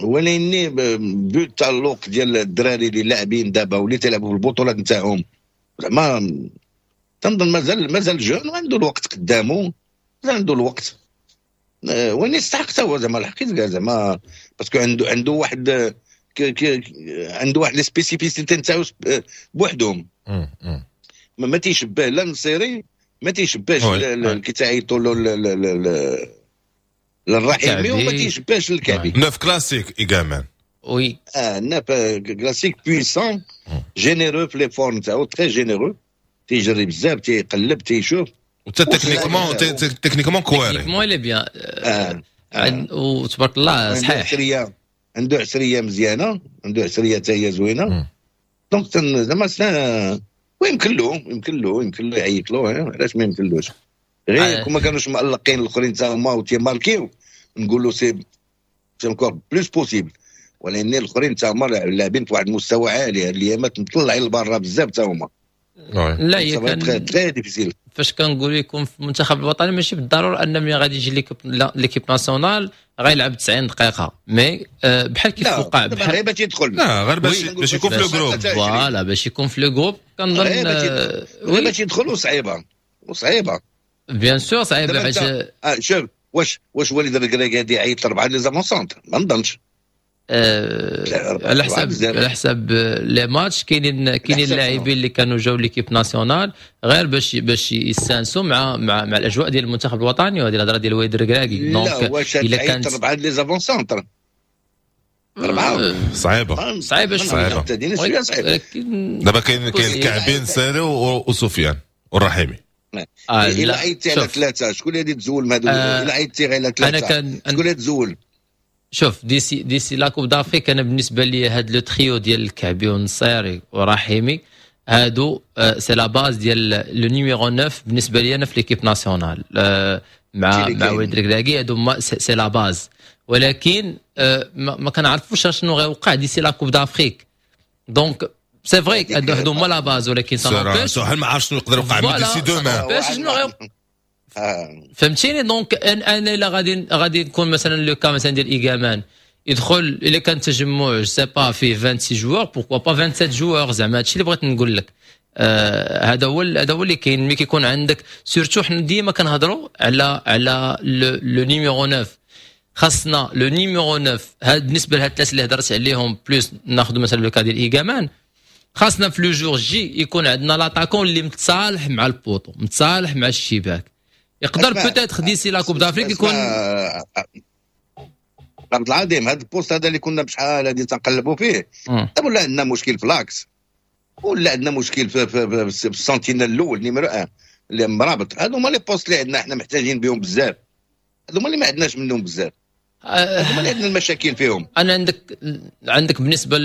ولكن vu التألق ديال الدراري اللي لاعبين دابا واللي تيلعبوا في البطولات نتاعهم، زعما تنظن مازال jeune وعنده الوقت قدامه، مازال عنده الوقت. وين يستحق حتى هو زعما الحقيقة زعما، parce que عنده واحد les spécificités نتاعو بوحدهم، ما تيشبه لا نصيري، ما تيشبهش كي تعيطوا له للرحيمي، وما تيشبهش الكعبي. neuf classique ايغامان. oui. Neuf classique، puissant، généreux في l'effort نتاعو، très généreux، تيجري بزاف، تيقلب، تيشوف. وحتى techniquement كواري. techniquement il est bien وتبارك الله صحيح. عنده عسريه مزيانه، عنده عسريه حتى هي زوينه. donc زعما ويمكن له يعيط له، علاش ما يمكنلوش؟ غير كون ما كانوش مألقين الاخرين تا هما وتيماركيو نقولوا c'est encore plus possible، ولكن الاخرين تا هما لاعبين في واحد المستوى عالي هاد الايامات، مطلعين لبرا بزاف تا هما. لا، هي كان très difficile. فاش كنقول يكون في المنتخب الوطني ماشي بالضرورة ان ملي غادي يجي l'équipe nationale غيلعب 90 دقيقه، mais بحال كيف وقع. بحال غير باش يدخل. لا، غير باش يكون في le groupe. voilà، باش يكون في le groupe كنظن. غير باش يدخل، وصعيبه وصعيبه. bien sûr صعيبة حيت شوف، واش وليد الركراكي غادي يعيط لاربعة les avant-centres؟ ما نظنش. على حساب les matchs، كاينين اللاعبين اللي كانوا جاو l'équipe nationale غير باش يستانسوا مع الاجواء ديال المنتخب الوطني، وهذه الهضرة ديال وليد الركراكي. donc واش الا كانت اربعة les avant-centres، اربعه؟ صعيبه. صعيبة صعيبه. صعيبه. دابا كاين الكعبين، نصيري وسفيان والرحيمي. الا عيطتي على ثلاثة شكون اللي غادي تزول من هادو؟ الا عيطتي غير على ثلاثة شكون اللي تزول؟ شوف، d'ici la Coupe d'Afrique انا بالنسبة لي هاد le trio ديال الكعبي والنصيري ورحيمي هادو c'est la base ديال le numéro 9 بالنسبة لي انا في l'équipe nationale مع وليد الركراكي. هادو c'est la base، ولكن ما كنعرفوش شنو غيوقع d'ici la Coupe d'Afrique. donc c'est vrai هادو هما la base، ولكن ça n'empêche ما عرفتش شنو يقدر يوقع d'ici demain. شنو غيوقع، فهمتيني؟ donc انا الا غادي نكون مثلا le cas مثلا ديال ايغامان يدخل، الا كان تجمع je sais pas فيه 26 joueurs، pourquoi pas 27 joueurs؟ زعما هادشي اللي بغيت نقول لك. هذا هو اللي كاين. ملي كيكون عندك surtout، حنا ديما كنهضروا على le numéro 9، خاصنا le numéro 9. هاد بالنسبة لهاد الثلاثة اللي هضرت عليهم، plus ناخذ مثلا le cas ديال ايغامان، خاصنا في le jour J يكون عندنا l'attaquant اللي متصالح مع ال poteau، متصالح مع الشباك. يقدر peut-être d'ici la Coupe d'Afrique يكون عبد العظيم، هذا ال poste هذا اللي كنا بشحال هادي تنقلبوا فيه، دابا ولا عندنا مشكل في l'axe، ولا عندنا مشكل في ال sentinelle الاول numéro 1 اللي مرابط. هادو هما les postes اللي عندنا احنا محتاجين بهم بزاف، هادو هما اللي ما عندناش منهم بزاف، هادو هما اللي عندنا المشاكل فيهم. انا عندك بالنسبه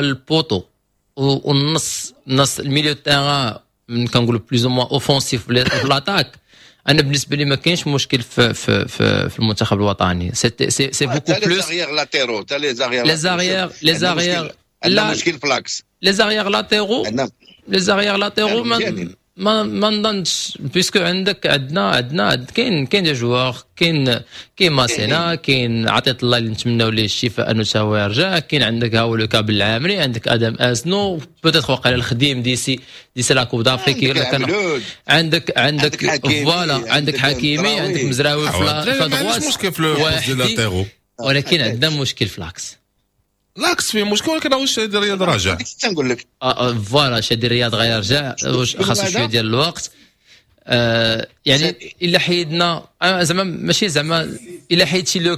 لل poteau والنص نص ال milieu terrain، كنقولوا plus ou moins offensif في l'attaque، انا بالنسبة لي ما كاينش مشكل في المنتخب الوطني. c'est beaucoup plus les arrières latéraux، تا les arrières. les arrières. لا، مشكل في l'axe. les arrières latéraux، les arrières latéraux ما نظنش، puisque عندك عندنا كاين des joueurs، كاين ماسينا، كاين عطية الله اللي نتمناو ليه الشفاء انه تا هو يرجع، كاين عندك ها هو le cas بالعامري، عندك ادم ازنو، peut-être وقع الخديم d'ici la Coupe d'Afrique. عندك voilà، عندك حكيمي، عندك مزراوي في droite. مشكل في ولكن عندنا مشكل في l'axe. l'axe فيه مشكل، ولكن واش شادي رياض راجع؟ تنقول لك. Voilà، شادي رياض غيرجع، خاصو شوية ديال الوقت. يعني الا حيدنا زعما، ماشي زعما، الا حيدتي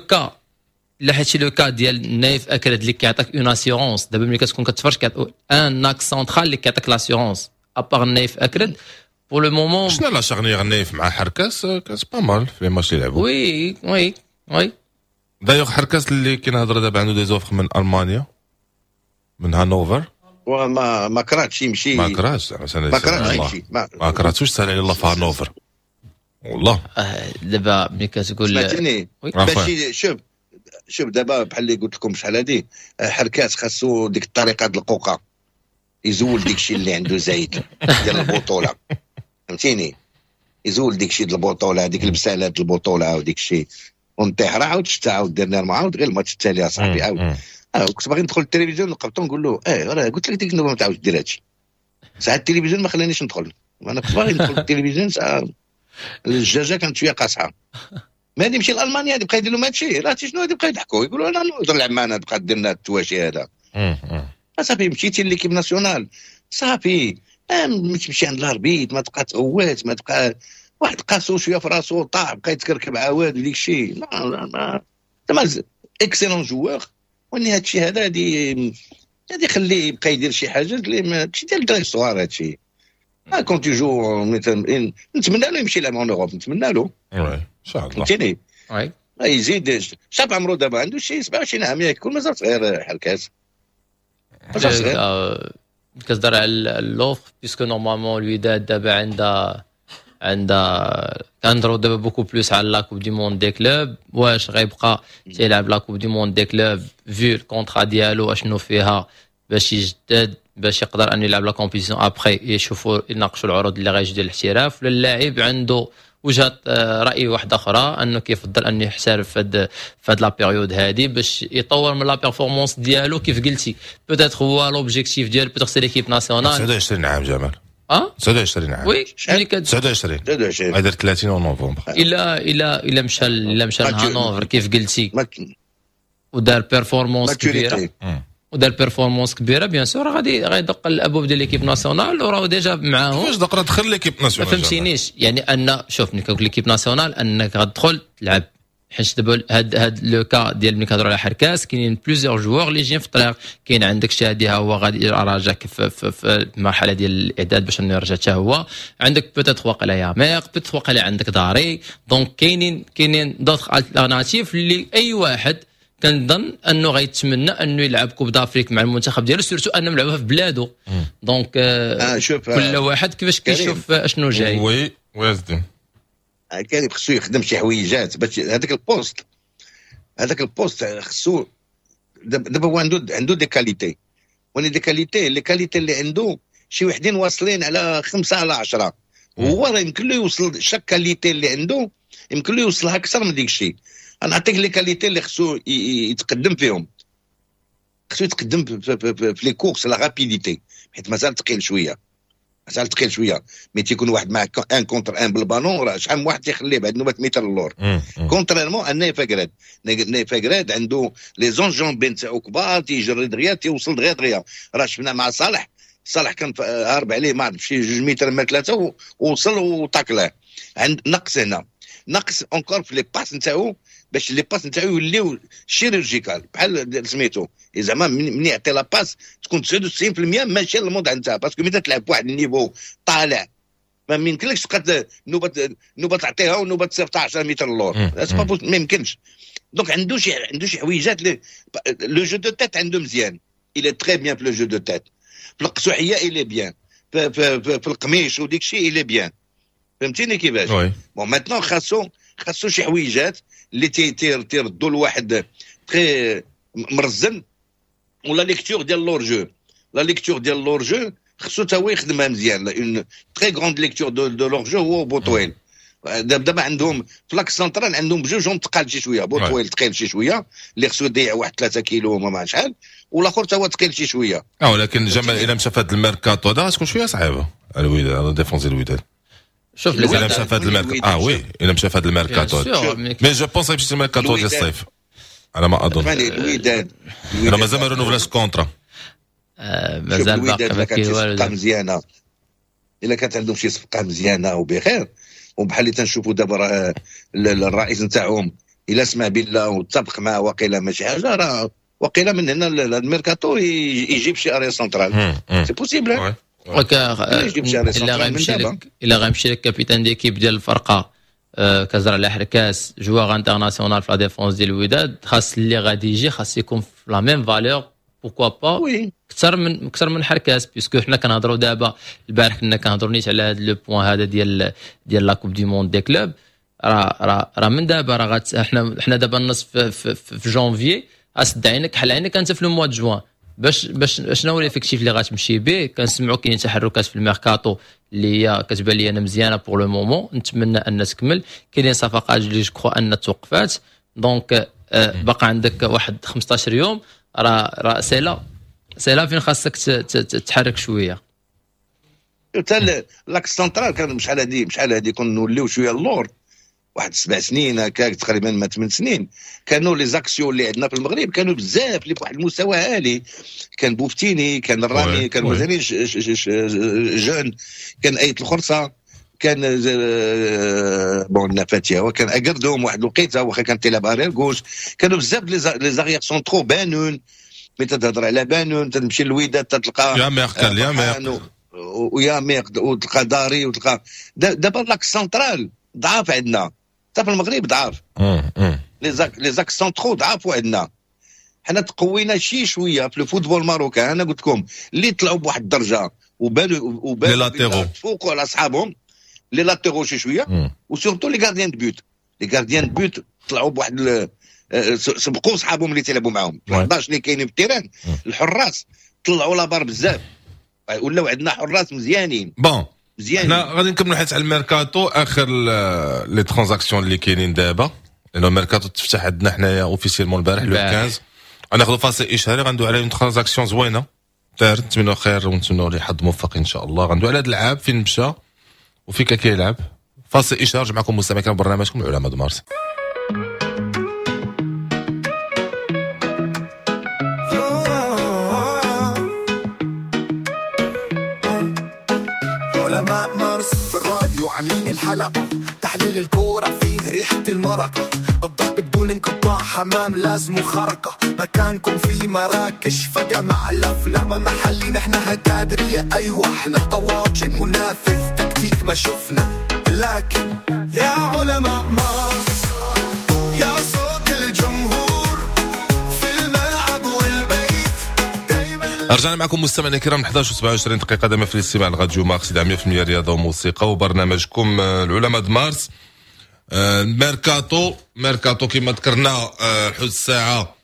le cas ديال نايف اكرد اللي كيعطيك une assurance. دابا ملي كتكون كتفرج un axe central اللي كيعطيك l'assurance à part نايف اكرد pour le moment. شنو la charnière نايف مع حركاس كانت pas mal في les matchs اللي لعبوا. oui. D'ailleurs حركاس اللي كنهضر دابا عنده des offres من المانيا، من هانوفر. وما ما كرهتش يمشي. ما كرهتش. ما كرهتش يمشي. ما كرهتوش، سهل على الله في هانوفر والله. دابا ملي كتقول سمعتني باش شوف شوف، دابا بحال اللي قلت لكم شحال هادي، حركات خاصو ديك الطريقة د القوقه، يزول ديك الشيء اللي عنده زايد ديال البطوله، فهمتيني؟ يزول ديك الشيء ديال البطوله، ديك البسالات ديال البطولة وديك الشيء ونطيح. راه عاود شتا، عاود درنا عاود غير الماتش التالي اصاحبي عاود. كنت باغي ندخل التلفزيون نقبطو نقول له اه راه قلت لك ديك النوبة ما تعاودش دير هادشي. ساعات التلفزيون ما خلانيش ندخل، انا كنت باغي ندخل التلفزيون، ساعة الدجاجة كانت شوية قاصحه. ما غادي يمشي لالمانيا غادي يبقى يدير لهم هادشي، راه شنو غادي يبقى يضحكوا، يقولوا انا نقدر نلعب معنا، تبقى دير لنا التواشي هذا. صافي مشيتي l'équipe nationale، صافي ما تمشي عند l'arbitre، ما تبقى تغوات، ما تبقى واحد قاسو شوية في راسو طاح بقى يتكركب عواد وديك الشيء. لا ما زعما excellent joueur، وني هادشي هذا غادي يخليه يبقى يدير شي حاجة اللي ماشي ديال الدراري الصغار هادشي. Quand tu joues، نتمنى له يمشي يلعب en Europe، نتمنى له. ان شاء الله. فهمتيني؟ يزيد شاب عمرو دابا عنده شي 27 عام ياك، يكون مازال صغير حركاس، مازال صغير. كتهضر على l'offre، puisque normalement الوداد دابا عندها كنهضروا دابا beaucoup plus على la Coupe du monde des clubs. واش غيبقى تيلعب la Coupe du monde des clubs vu ال contrat ديالو اشنو فيها باش يجدد، باش يقدر ان يلعب la compétition، après يشوفوا يناقشوا العروض اللي غيجي ديال الاحتراف، ولا اللاعب عنده وجهه راي واحدة اخرى انه كيفضل انه يحترف في هاد la période هادي باش يطور من la performance ديالو؟ كيف قلتي، peut-être هو l'objectif ديالو peut-être c'est l'équipe nationale. 29 عام جمال. اه. 29 عام. Oui، ملي 29. 29. غيدير 30 نوفمبر. الا مشى لهانوفر كيف قلتي ودار performance كبيرة ودار performance كبيره، bien sûr غادي غيدق الابواب ديال l'équipe nationale، وراه déjà معاهم. كيفاش دق؟ دخل l'équipe nationale. ما فهمتينيش، يعني ان شوف، ملي كنقول l'équipe nationale انك غتدخل تلعب، حيت دابا هاد le cas ديال ملي كنهضروا على حركاس، كاينين plusieurs joueurs اللي جايين في الطريق. كاين عندك شادي، ها هو غادي راجع في المرحلة ديال الاعداد باش انه يرجع حتى هو. عندك peut-être واقيلا ياميق، peut-être واقيلا عندك داري، donc كاينين d'autres alternatives اللي اي واحد كنظن انه غيتمنى انه يلعب Coupe d'Afrique مع المنتخب ديالو، surtout انه لعبها في بلادو. Donc شوف، كل واحد كيفاش كيشوف اشنو جاي. Oui ويزدين. كان خصو يخدم شي حويجات باش هذاك ال poste خصو. دابا هو عنده des qualités، وني des qualités، les qualités اللي عنده شي وحدين واصلين على 5 على 10، هو راه يمكن له يوصل chaque qualité اللي عنده يمكن له يوصلها اكثر من ديك الشيء. انا نعطيك les qualités اللي خصو يتقدم فيهم. خصو يتقدم في les courses، la rapidité، حيت مازال ثقيل شويه. حتى ثقيل شوية، mais تيكون واحد مع un contre un بالبالون راه شحال من واحد تيخليه بعد نوبه متر اللور. contrairement à نايف اكراد، نايف اكراد عنده les enjambées نتاعو كبار، تيجري دغيا، تيوصل دغيا دغيا. راه شفنا مع صالح، صالح كان هارب عليه ما عرف شي 2 متر ما 3 ووصل وطاكلاه. عند نقص هنا، نقص encore في les passes نتاعو، باش les passes نتاعو يوليو chirurgicales بحال سميتو زعما من يعطي la passe تكون 99% ماشي للموضع نتاعها، parce que ملي تلعب بواحد ال niveau طالع ما يمكنلكش تبقى نوبه نوبه تعطيها ونوبه تصيفطها 10 متر اللور، ما يمكنش. donc عنده شي حويجات، le jeu de tête عنده مزيان، il est très bien في le jeu de tête، في القسوحيه il est bien، في القميش وديك الشيء il est bien، فهمتيني كيفاش؟ bon maintenant خاصو شي حويجات اللي تيردوا لواحد très مرزن، ولا lecture ديال l'hors-jeu، la lecture ديال l'hors-jeu خصو تا هو يخدمها مزيان، une très grande lecture de l'hors-jeu هو بوطويل. دابا عندهم في l'axe central عندهم بجوجهم ثقال شي شوية، بوطويل ثقيل شي شوية اللي خصو يضيع واحد 3 كيلو ما شحال، والاخر تا هو ثقيل شي شوية. ولكن جمال الا مشى في هذا الميركاتو هذا غتكون شوية صعيبة الوداد، la défense الوداد. شوف الا مشى في هذا الميركاتو oui الا مشى في هذا الميركاتو، mais je pense يمشي الميركاتو ديال الصيف على ما اظن. الوداد راه مازال ما رونوفلاش contrat، مازال باقي ما كاين والو. صفقة مزيانه الا كانت عندهم شي صفقة مزيانه وبخير، وبحال اللي تنشوفوا دابا راه الرئيس نتاعهم الا سمع بالله واتفق معاه وقيله ماشي حاجة، راه وقيله من هنا الميركاتو يجيب شي arrière central، c'est possible. الا غيمشي لك capitaine d'équipe ديال الفرقة كزرع على حركاس joueur international في la défense ديال الوداد، خاص اللي غادي يجي خاص يكون في la même valeur، pourquoi pas اكثر من حركاس، puisque حنا كنهضروا دابا البارح كنا كنهضروا نيت على هذا le point هذا ديال la Coupe du monde des clubs. راه راه من دابا راه حنا دابا النص في جونفي، اسد عينك حل عينك انت في le mois de juin باش شنو هو l'effectif اللي غتمشي به. كنسمعوا كاين تحركات في الميركاتو اللي هي كتبان لي انا مزيانه pour le moment، نتمنى ان تكمل. كاينين صفقات اللي je crois ان توقفات، donc باقي عندك واحد 15 يوم، راه c'est là فين خاصك تتحرك شوية. حتى l'axe central كان شحال هادي كنا نوليو شوية اللور واحد 7 سنين هكاك تقريبا، ما 8 سنين، كانوا les axiaux اللي عندنا في المغرب كانوا بزاف اللي بواحد المستوى عالي. كان بوفتيني، كان الرامي، كان مازالين jeune، كان ايت الخرصه، كان bon نفاتيا، وكان اكردوم واحد الوقيته واخا كان تيلعب arrière gauche. كانوا بزاف les arrières centraux بانون، ملي تهضر على بانون تمشي للوداد تلقى يا ويا ميق وتلقى داري وتلقى. دابا l'axe central ضعاف عندنا حتى في المغرب، ضعاف les axes centraux ضعاف عندنا. حنا تقوينا شي شوية في ال football marocain. انا قلت لكم اللي طلعوا بواحد الدرجة وبانوا تفوقوا على اصحابهم les latéraux شي شوية، و surtout les gardiens de but. les gardiens de but طلعوا بواحد سبقوا صحابهم اللي تلعبوا معاهم 11 اللي كاينين في ال terrain. الحراس طلعوا la barre بزاف، ولاو عندنا حراس مزيانين. bon حنا غادي نكملوا حيت على الميركاتو اخر les transactions اللي كاينين دابا، لانه الميركاتو تفتح عندنا حنايا officiellement البارح le 15. غناخذوا فاصل اشهاري، غندوي على une transaction زوينة دارت، نتمنوا خير ونتمنوا ليه حظ موفق ان شاء الله. غندوي على هذا اللاعب فين مشى وفين كيلعب. فاصل اشهار، رجع معكم مستمعين كان برنامجكم العلماء د مارس. عاملين الحلقة تحليل الكورة فيه ريحة المرقة، الضرب بدون انقطاع، حمام لازم خرقة، مكانكم في مراكش فجأة مع الأفلام محلي، نحن هكادرية أيوة احنا طواجن منافذ تكتيك ما شفنا، لكن يا علماء مارس يا صوت الجمهور في الملعب والبيت دايما. رجعنا معكم مستمعينا الكرام 11:27 دقيقة دائما في الاستماع لراديو مارس 100% رياضة وموسيقى وبرنامجكم العلماء د مارس. ميركاتو كما ذكرنا حدود الساعة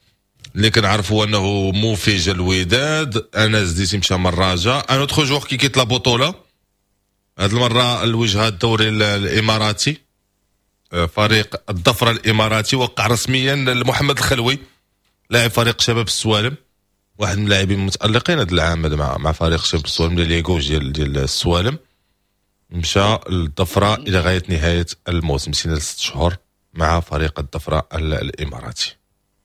اللي كنعرفوا انه موفي الوداد، انس ديتي مشى من الرجاء، un autre joueur qui quitte la بطولة هذه المرة الوجهة الدوري الاماراتي، فريق الظفرة الاماراتي وقع رسميا لمحمد الخلوي لاعب فريق شباب السوالم. واحد من اللاعبين المتالقين هذا العام هذا مع فريق شباب السوالم ديال les gauches ديال السوالم، مشى للظفره الى غاية نهاية الموسم، سنة 6 شهور مع فريق الظفره الاماراتي.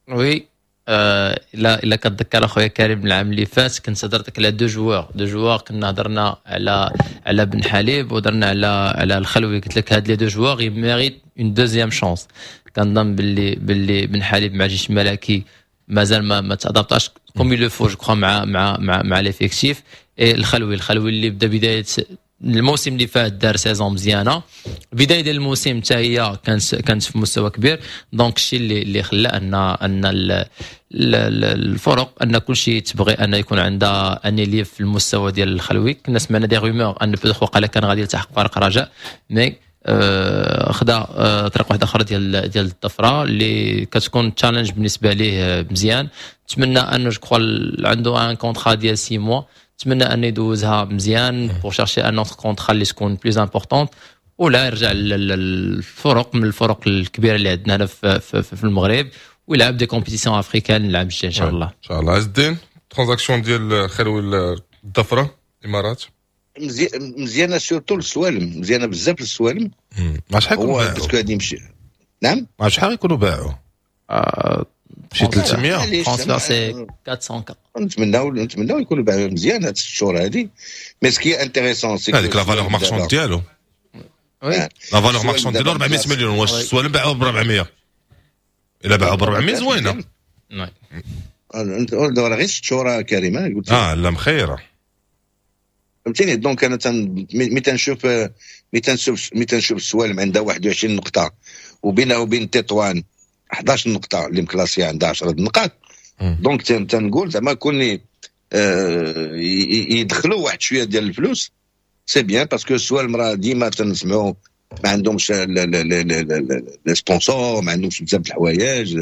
oui، الا كتذكر اخويا كريم، العام اللي فات كنت هضرتك على deux joueurs، كنا هضرنا على بن حليب وهضرنا على الخلوي. قلت لك هاد les deux joueurs méritent une deuxième chance. كنظن باللي بن حليب مع جيش الملكي مازال ما تadaptاش comme il le faut، je crois، مع l'effectif. الخلوي اللي بدا بداية الموسم اللي فات دار saison مزيانه، البداية ديال الموسم حتى هي كانت في مستوى كبير. donc الشيء اللي خلى ان الفرق، ان كل شيء تبغي ان يكون عندها un ailier في المستوى ديال الخلوي. كنا سمعنا des rumeurs ان peut-être وقال كان غادي يلتحق فريق رجاء، mais خدا طريق واحدة اخرى ديال الظفره اللي كتكون challenge بالنسبة ليه مزيان. نتمنى انه، je crois عنده un contrat ديال 6 mois، نتمنى انه يدوزها مزيان pour chercher un autre contrat اللي تكون plus importante، ولا يرجع للفرق من الفرق الكبيرة اللي عندنا هنا في المغرب ويلعب des compétitions africaines العام الجاي ان شاء الله. ان شاء الله. عز الدين، transaction ديال خلوي الظفره الامارات؟ مزيانه، surtout للسوالم، مزيانه بزاف للسوالم. مع شحال يكونوا باعوا؟ parce que غادي يمشي، نعم. مع شحال يكونوا باعوا؟ شي 300. transfert c'est 400 K. نتمناو يكونوا باعوا مزيان هاد الشهور هادي، mais ce qui est intéressant c'est هذيك la valeur marchande ديالو، la valeur marchande ديالو 400 مليون. واش السوالم باعوه ب 400؟ الا باعوه ب 400 زوينه. انت غير 6 شهور كريمة قلت. اه لا، مخيره. فهمتيني؟ donc انا مي تنشوف السوالم عندها 21 نقطة وبينها وبين تطوان 11 نقطه، اللي مclassée عندها 10 نقاط، donc تنقول زعما كون يدخلوا واحد شوية ديال الفلوس، c'est bien، parce que السوالم راه ديما تنسمعوا ما عندهمش les sponsors، ما عندهمش بزاف الحوايج.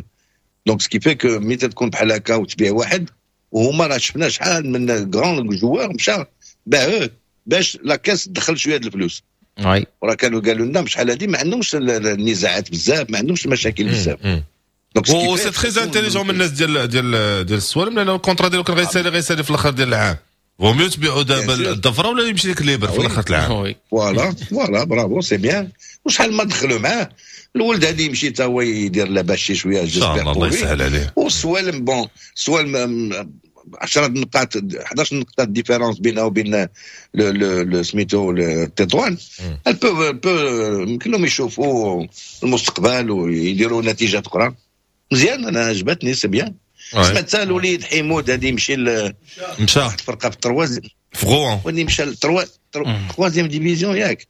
donc ce qui fait que ملي تكون بحال هكا وتبيع واحد، وهما راه شفنا شحال من grands joueurs مشى باعوه باش la caisse تدخل شوية د الفلوس. وراه كانوا قالوا لنا شحال هذه ما عندهمش النزاعات بزاف، ما عندهمش المشاكل بزاف. donc c'est très intelligent من الناس ديال السوالم، لان ال contrat ديالو كان غيسالي في الاخر ديال العام. vaut mieux تبيعوا دابا الظفره ولا يمشي لك libre في الاخر العام. voilà voilà، bravo، c'est bien. وشحال ما دخلوا معاه الولد هذا يمشي حتى هو يدير لاباس شي شويه. ان شاء الله، الله يسهل عليه. والسوالم، bon، السوالم 10 نقاط، 11 نقطة différence بينه وبين le سميتو التطوان. peut يمكن لهم يشوفوا المستقبل ويديروا نتيجات اخرى مزيان. انا عجبتني، c'est bien. سمعت الوليد حيمود هذه يمشي مشى. الفرقة في ال troisième. في Rouen. وني مشى troisième division، ياك؟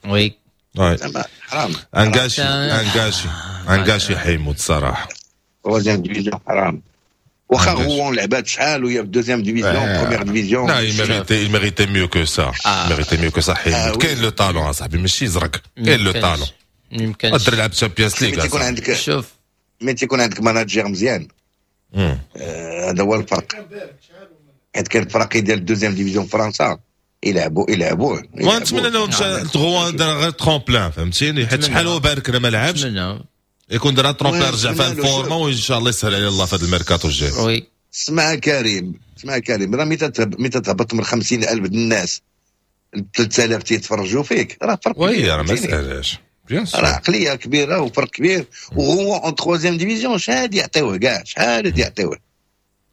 oui. زعما حرام. un gâchis، un gâchis، un gâchis حيمود الصراحه. troisième division حرام، واخا Rouen لعبات شحال وهي في deuxième division، première division. لا، il méritait، il méritait mieux que ça، il méritait mieux que ça. حيمود كاين le talent اصاحبي، ماشي زرق، كاين le talent. يمكن. قدر يلعب Champions League. تيكون عندك شوف. ملي تيكون عندك manager مزيان، هذا هو الفرق، حيت كاين فرق ديال ال deuxième division فرنسا يلعبوا يلعبوه. ونتمنى انه مشى Rouen دار غير tremplin، فهمتيني؟ حيت شحال هو بارك ما لعبش، يكون دار tremplin، رجع في ال forme، وان شاء الله يسهل عليه الله في هذا الميركاتو الجاي. oui. اسمع كريم، اسمع كريم، راه ملي تهبط من 50000 الناس 3000 تيتفرجوا فيك، راه فرق. oui، راه ما سهلاش. bien sûr، راه عقلية كبيرة وفرق كبير. وهو en troisième division شحال يعطيوه كاع؟ شحال يعطيوه؟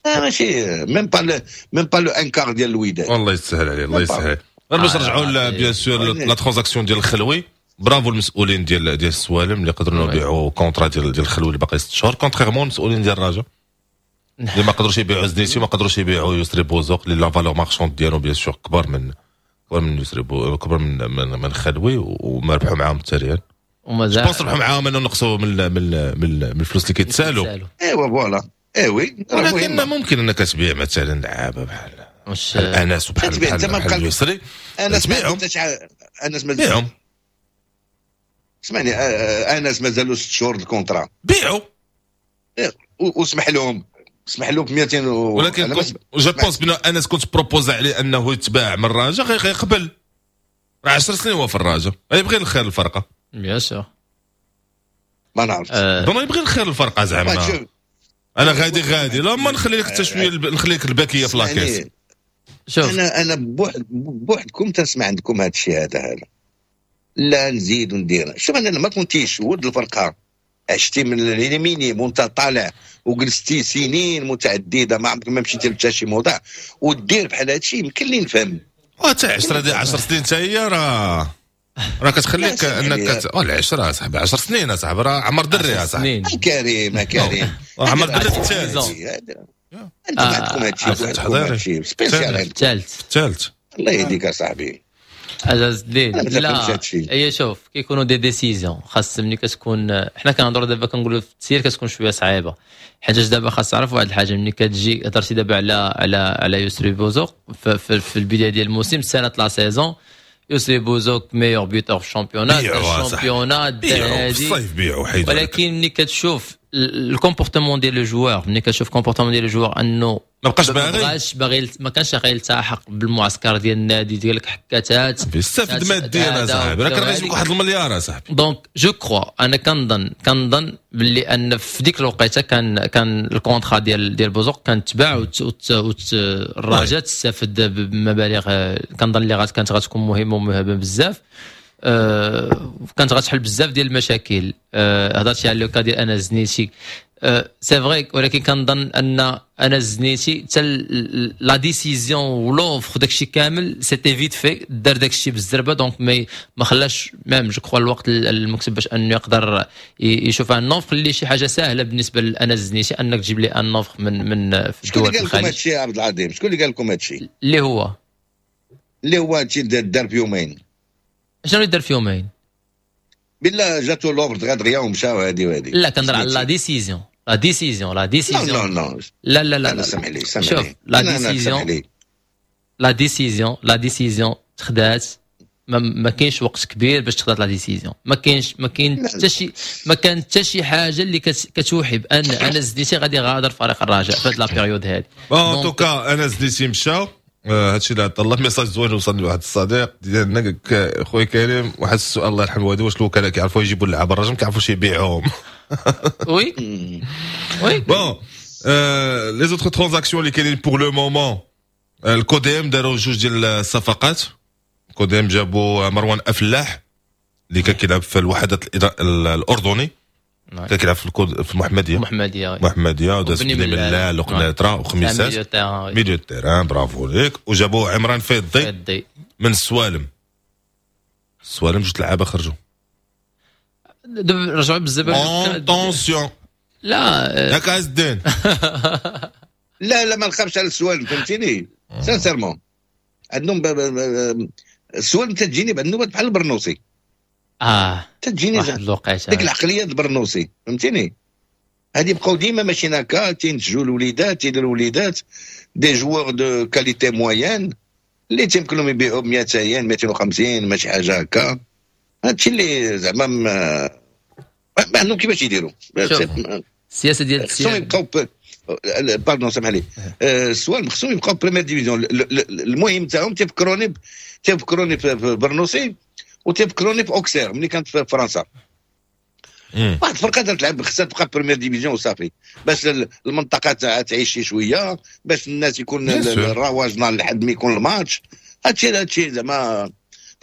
ماشي même pas le un quart ديال الوداد. والله يسهل عليه، الله يسهل. غير باش نرجعوا bien sûr la transaction ديال الخلوي، برافو المسؤولين ديال السوالم اللي قدروا يبيعوا contrat ديال الخلوي اللي باقي 6 شهور، contrairement المسؤولين ديال الرجاء اللي ما قدروش يبيعوا زنيتي وما قدروش يبيعوا يسري بوزوق، اللي la valeur marchande ديالو bien sûr كبر من يسري بو، كبر من خلوي، وما ربحوا معاهم حتى ريال. ومازال pense ربحوا معاهم انه نقصوا من الفلوس اللي كيتسالوا. ايوا voilà، eh oui. ولكن ممكن انك تبيع مثلا لعابه بحال انس وبحال بحال يسري. انس. تبيعهم. انس. بيعهم. اسمعني، انس مازالوا 6 شهور ال contrat. بيعوا. واسمح لهم، اسمح لهم ب 200 و... ولكن je pense بان انس كنت proposer عليه انه يتباع من الرجاء غيقبل. راه 10 سنين هو في الرجاء، يبغي الخير الفرقه. bien sûr. ما نعرف. bon، يبغي الخير الفرقة زعما. انا غادي لا ما نخلي لك حتى شوية، نخلي لك الباكيه في la caisse. شوف انا بوحدكم تنسمع عندكم هذا الشيء هذا لا نزيد وندير. شوف انا ما كنتيش ولد الفرقة، عشتي من les minimes وانت طالع وجلستي سنين متعددة ما عمرك ما مشيتي لحتى شي موضع ودير بحال هذا الشيء، يمكن لي نفهم. حتى 10 سنين حتى هي راه كتخليك انك العشرة صاحبي، 10 سنين اصاحبي، راه عمر دري اصاحبي. كريم كريم عمر دري في الثالث. انتم عندكم هذا الشيء spécial الثالث. الله يهديك اصاحبي. عزاز الدين لا هي شوف كيكونوا des décisions، خاص ملي كتكون حنا كنهضروا دابا كنقولوا في التسيير كتكون شوية صعيبة، حيت دابا خاص تعرف واحد الحاجة، ملي كتجي هضرتي دابا على على على يسري بوزوق في البداية ديال الموسم، سنة la saison يسري بوزوك meilleur buteur في ال championnat، ال championnat الصيف بيعوا حيدوا. ولكن ملي كتشوف ال comportement ديال le joueur، ملي كتشوف comportement ديال le joueur انه ما بقاش باغي، ما كانش غير يلتحق بالمعسكر ديال النادي ديالك، حكاتات استفد ماديا اصاحبي، راه كان غيجيب واحد المليار اصاحبي. donc je crois انا كنظن باللي ان في ديك الوقيته كان ال contrat ديال بوزوق كان تباع، والرجاء تستافد بمبالغ كنظن اللي كانت غتكون مهمة ومهمة بزاف، كانت غتحل بزاف ديال المشاكل. هضرتي على le cas ديال انس زنيتي، c'est vrai، ولكن كنظن ان انس زنيتي حتى la décision و l'offre داكشي كامل c'était vite fait، دار داكشي بالزربه، donc ما خلاش même je crois الوقت المكتب باش انه يقدر يشوف une offre اللي شي حاجة سهلة بالنسبة لانس زنيتي انك تجيب لي une offre من في الدول الخليج. شكون اللي قال لكم هادشي يا عبد العظيم؟ شكون اللي قال لكم هادشي؟ اللي هو هادشي دار في يومين. شنو اللي دار في يومين؟ بالله جاتو l'offre دغيا ومشاو هادي وهادي. لا كنهضر على la décision، la décision، la décision. non non لا لا لا، سمح لي سمح شوف لي، la décision، la décision، la décision تخدات، ما كاينش وقت كبير باش تخدات la décision، ما كاين حتى شي، ما كان حتى شي حاجة اللي كتوحي بان انس زنيتي غادي يغادر فريق الرجاء في هاد la période هادي. en tout cas انس زنيتي مشى، هادشي اللي عطا الله. message زوين وصلني واحد الصديق ديالنا، خويا كريم واحد السؤال الله يرحم الوالدين، واش الوكلاء كيعرفوا يجيبوا اللعابه الرجاء ما كيعرفوش يبيعوهم؟ oui oui. bon، les autres transactions اللي كاينين pour le moment، الكوديم داروا جوج ديال الصفقات. الكوديم جابوا مروان افلاح اللي كان كيلعب في الوحدات الاردني، كان كيلعب في الكود في المحمدية. المحمديه. المحمدية وداز بني ملال وقنيطره وخميسات، milieu terrain، برافو ليك. وجابوا عمران فيضي من السوالم. السوالم جوج لعابه خرجوا. دابا رجعوا بزاف. attention. لا. ياك عز الدين؟ لا لا، ما نخافش على السوالم، فهمتيني، sincèrement عندهم السوالم تجيني بعد النوبات بحال البرنوسي. تجيني واحد الوقيته ديك العقلية البرنوسي، فهمتيني، هادي بقاو ديما ماشيين هكا، تينتجوا الوليدات، تيديروا الوليدات des joueurs de qualité moyenne اللي تيمكن لهم يبيعوا ب 200 250 ماشي حاجة هكا. هادشي اللي زعما ما عندهم كيفاش يديروا. السياسة ديال خصهم يبقاو، pardon سامح لي، السوالم خصهم يبقاو première division. المهم تاعهم تيفكروني في برنوسي وتيفكروني في اوكسير ملي كانت في فرنسا. واحد الفرقة تلعب خصها تبقى première division وصافي، باش المنطقة تعيش شي شويه، باش الناس يكون الرواج نهار لحد ما يكون الماتش. هادشي زعما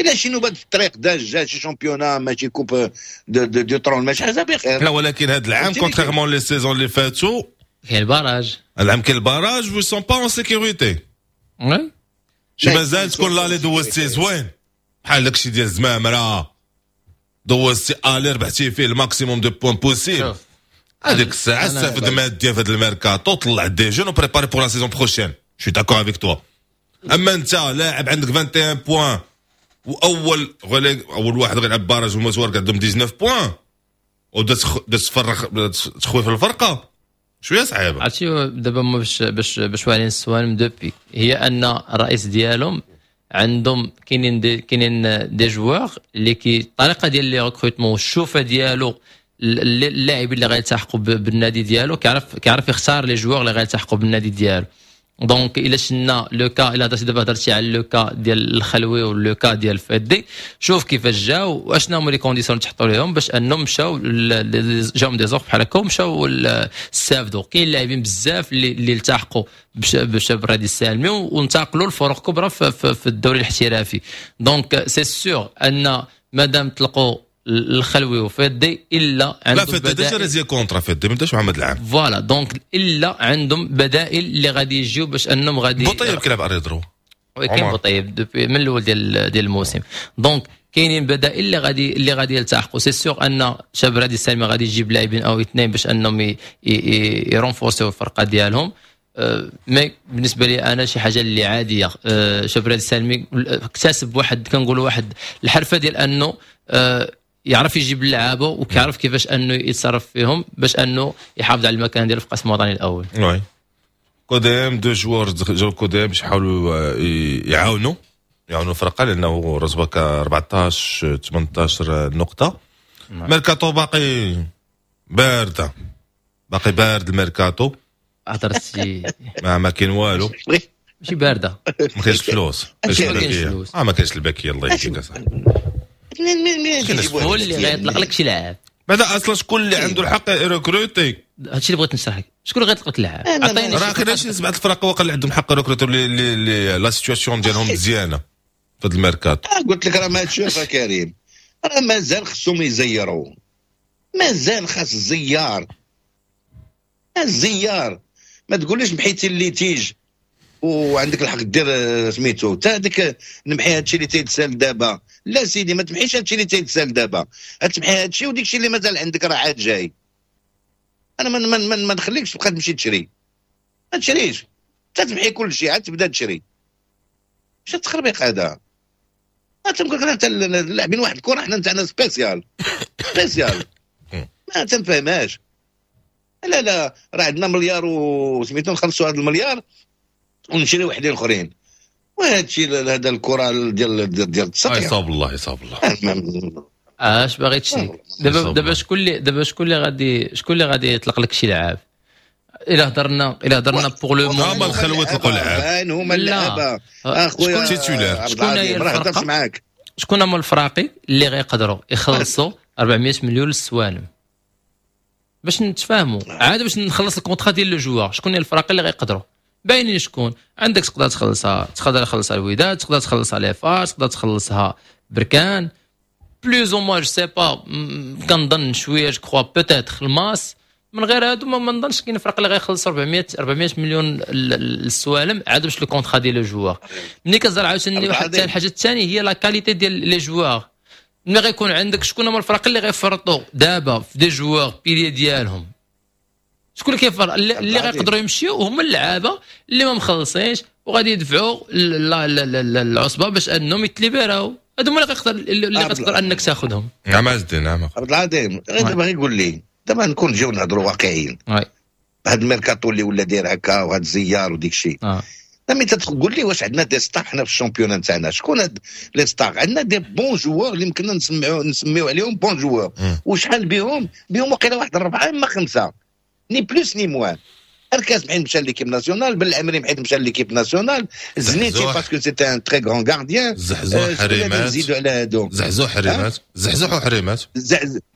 الا شي نوبه في الطريق داز جا شي championnat ماشي coupe du trône ماشي حاجة بخير. لا ولكن هذا العام contrairement les saisons اللي فاتوا كاين ال barrage. العام كاين ال barrage و sont pas en sécurité. oui. شي مازال تكون l'aller دوزتي زوين بحال داكشي ديال زمامرة، دوزتي aller ربحتي فيه ال maximum de points possible، هذيك الساعة استفد ماديا في هذا الميركاتو، طلع des jeunes و préparer pour la saison prochaine. je suis d'accord avec toi. اما انت لاعب عندك 21 points واول اول واحد غيلعب barrage ومزوار عندهم 19 points وبدا تفرخ تخوي في الفرقة شوية صعيبه. عرفتي دابا باش واعرين السوالم depuis هي ان الرئيس ديالهم عندهم كاينين des joueurs اللي كي الطريقة ديال les recrutements والشوفه ديالو اللاعبين اللي غيلتحقوا بالنادي ديالو، كيعرف يختار les joueurs اللي غيلتحقوا بالنادي ديالو. donc الا شفنا le cas، الا هضرتي دابا، هضرتي على le cas ديال الخلوي و le cas ديال فدي، شوف كيفاش جاو واشنا هما les conditions اللي تحطوا لهم باش انهم مشاو، جاهم des offres بحال هكا ومشاو استافدوا. كاين لاعبين بزاف اللي التحقوا بشاب الرياضي السالمي وانتقلوا لفرق كبرى في الدوري الاحترافي. donc c'est sûr ان مادام طلقوا الخلوي وفدي الا عندهم، لا، فدي déjà résilié contrat، فدي ما بداش محمد العام. voilà، donc الا عندهم بدائل اللي غادي يجيو باش انهم غادي بوطيب كيلعب arrière droit. كاين بوطيب depuis من الاول ديال الموسم. donc كاينين بدائل اللي غادي يلتحقوا. c'est sûr ان شباب رادي السالمي غادي يجيب لاعبين او اثنين باش انهم يرونفورسيو الفرقة ديالهم. mais بالنسبة لي انا شي حاجة اللي عاديه. شباب رادي السالمي اكتسب واحد، كنقولوا واحد الحرفة ديال انه يعرف يجيب اللعابه وكيعرف كيفاش انه يتصرف فيهم باش انه يحافظ على المكان ديالو في القسم الوطني الاول. oui، قدام deux joueurs جاو قدام باش يحاولوا يعاونوا الفرقة لانه رتبه 14 18 نقطه. ميركاتو باقي بارده، باقي بارد الميركاتو. هضرتي. ما كاين والو. ماشي باردة. ما كاينش فلوس. ما كاينش فلوس. اه، ما كاينش الباكيه، الله يهديك اصاحبي. هو اللي غيطلق لك شي لاعب؟ بعدا اصلا شكون اللي عنده الحق recruter؟ هادشي اللي بغيت نشرح لك، شكون اللي غيطلق لك اللاعب؟ عطيني. راه كاين شي سبعة الفرق واقع اللي عندهم حق recruter، اللي la situation ديالهم مزيانه في هذا الميركاتو. قلت لك راه ما تشوف كريم، راه مازال خصهم يزيروا، مازال خاص الزيار الزيار. ما تقوليش محيتي ال litige وعندك الحق دير سميتو تا هذيك، نمحي هادشي اللي تيتسال دابا. لا سيدي، ما تمحيش هادشي اللي تيتسال دابا، تمحي هادشي وديك الشيء اللي مازال عندك راه عاد جاي. انا ما نخليكش تبقى تمشي تشري، ما تشريش تمحي كل شيء عاد تبدا تشري. اش التخربيق هذا؟ تنقول لك لاعبين واحد الكره حنا نتاعنا spécial spécial، ما تنفهمهاش. لا لا، راه عندنا مليار وسميتو، نخلصوا هذا المليار ونشري وحدين اخرين. وهذا الشيء هذا الكره ديال التسطيح. يصاب الله، يصاب الله. اش باغي تشري دابا؟ دابا شكون اللي غادي يطلق لك شي لعاب؟ الا هضرنا pour le moment هما الخلوة يطلقوا لعاب، هما اللعابه اخويا. titulaires. شكون هي الفرقه معاك؟ شكون هما الفراقي اللي غيقدروا يخلصوا 400 مليون للسوالم باش نتفاهموا عاد باش نخلص ال contrat ديال le joueur؟ شكون هي الفراقي اللي غيقدروا؟ باينين شكون عندك. تقدر تخلصها، تقدر تخلصها الوداد، تقدر تخلصها les FAR، تقدر تخلصها بركان plus ou moins، je sais pas، كنظن شويه، je crois peut-être الماس. من غير هادو ما نظنش كاين فرق اللي غيخلص 400 مليون للسوالم عاد باش le contrat ديال le joueur. ملي كتهضر عاوتاني واحد الحاجة الثانية هي la qualité ديال les joueurs. ملي غيكون عندك، شكون هما الفرق اللي غيفرطوا دابا في des joueurs piliers ديالهم؟ شكون اللي كيفرق اللي غيقدروا يمشيو؟ هما اللعابه اللي ما مخلصينش وغادي يدفعوا العصبة باش انهم يتليبراو. هادو هما اللي غتقدر انك تاخذهم. نعم عز الدين، نعم. عبد العظيم، غير دابا غير قول لي، دابا نكون نجيو نهضروا واقعيين، هاد الميركاتو اللي ولا داير هكا وهاد الزيار وديك الشيء، ملي تقول لي واش عندنا des stars حنا في ال championnat نتاعنا؟ شكون هاد les stars؟ عندنا des bons joueurs اللي يمكننا نسميو عليهم bons joueurs، وشحال بهم؟ وقيله واحد اربعة اما خمسه، ni plus ni moins. اركاز حيت مشى l'équipe nationale، بالعمري حيت مشى l'équipe nationale، زنيتي parce que c'était un très grand gardien. زحزوح، حريمات. نزيدوا على هادو؟ زحزوح، حريمات، زحزوح وحريمات.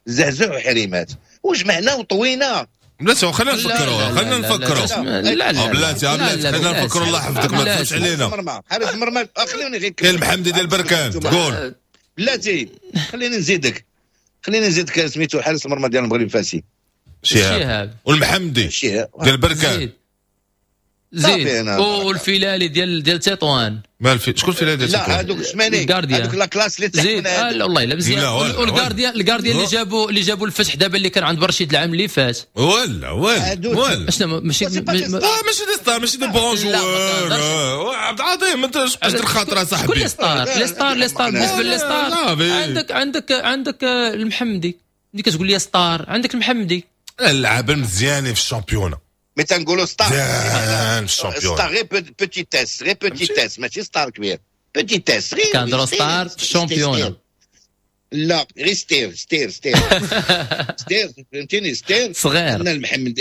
زحزوح وحريمات، وجمعنا وطوينا. بلاتي، خلينا نفكروا، خلينا نفكروا. لا لا. بلاتي بلاتي، خلينا نفكروا، الله يحفظك، ما تفوتش علينا. حارس المرمى، خليني غير كاين المحمدي ديال بركان، قول. بلاتي، خليني نزيدك سميتو، حارس المرمى ديال المغرب الفاسي. شهاب والمحمدي ديال بركان. زيد والفيلالي ديال تطوان. مال في شكون الفيلالي ديال تطوان؟ لا، هذوك سماني، هذوك la classe اللي تحت. زيد، آه والله الا مزيان. وال gardien ال gardien اللي جابوا الفتح دابا، اللي كان عند برشيد العام اللي فات. ولا ولا ولا. شنو ماشي؟ ماشي des stars، ماشي des bons joueurs. عبد العظيم، انت قصد الخاطر صاحبي. شكون les stars؟ les stars، les stars، بالنسبة les stars عندك المحمدي. ملي كتقول لي star، عندك المحمدي. اللعابه المزيانين في ال championnat. mais تنقولوا star مزيان في ال championnat. star غير petit s، غير petit s، ماشي star كبير، petit s غير. كنهضروا star في ال championnat. لا غير ستير ستير ستير ستير، فهمتيني؟ ستير صغير. عندنا المحمد،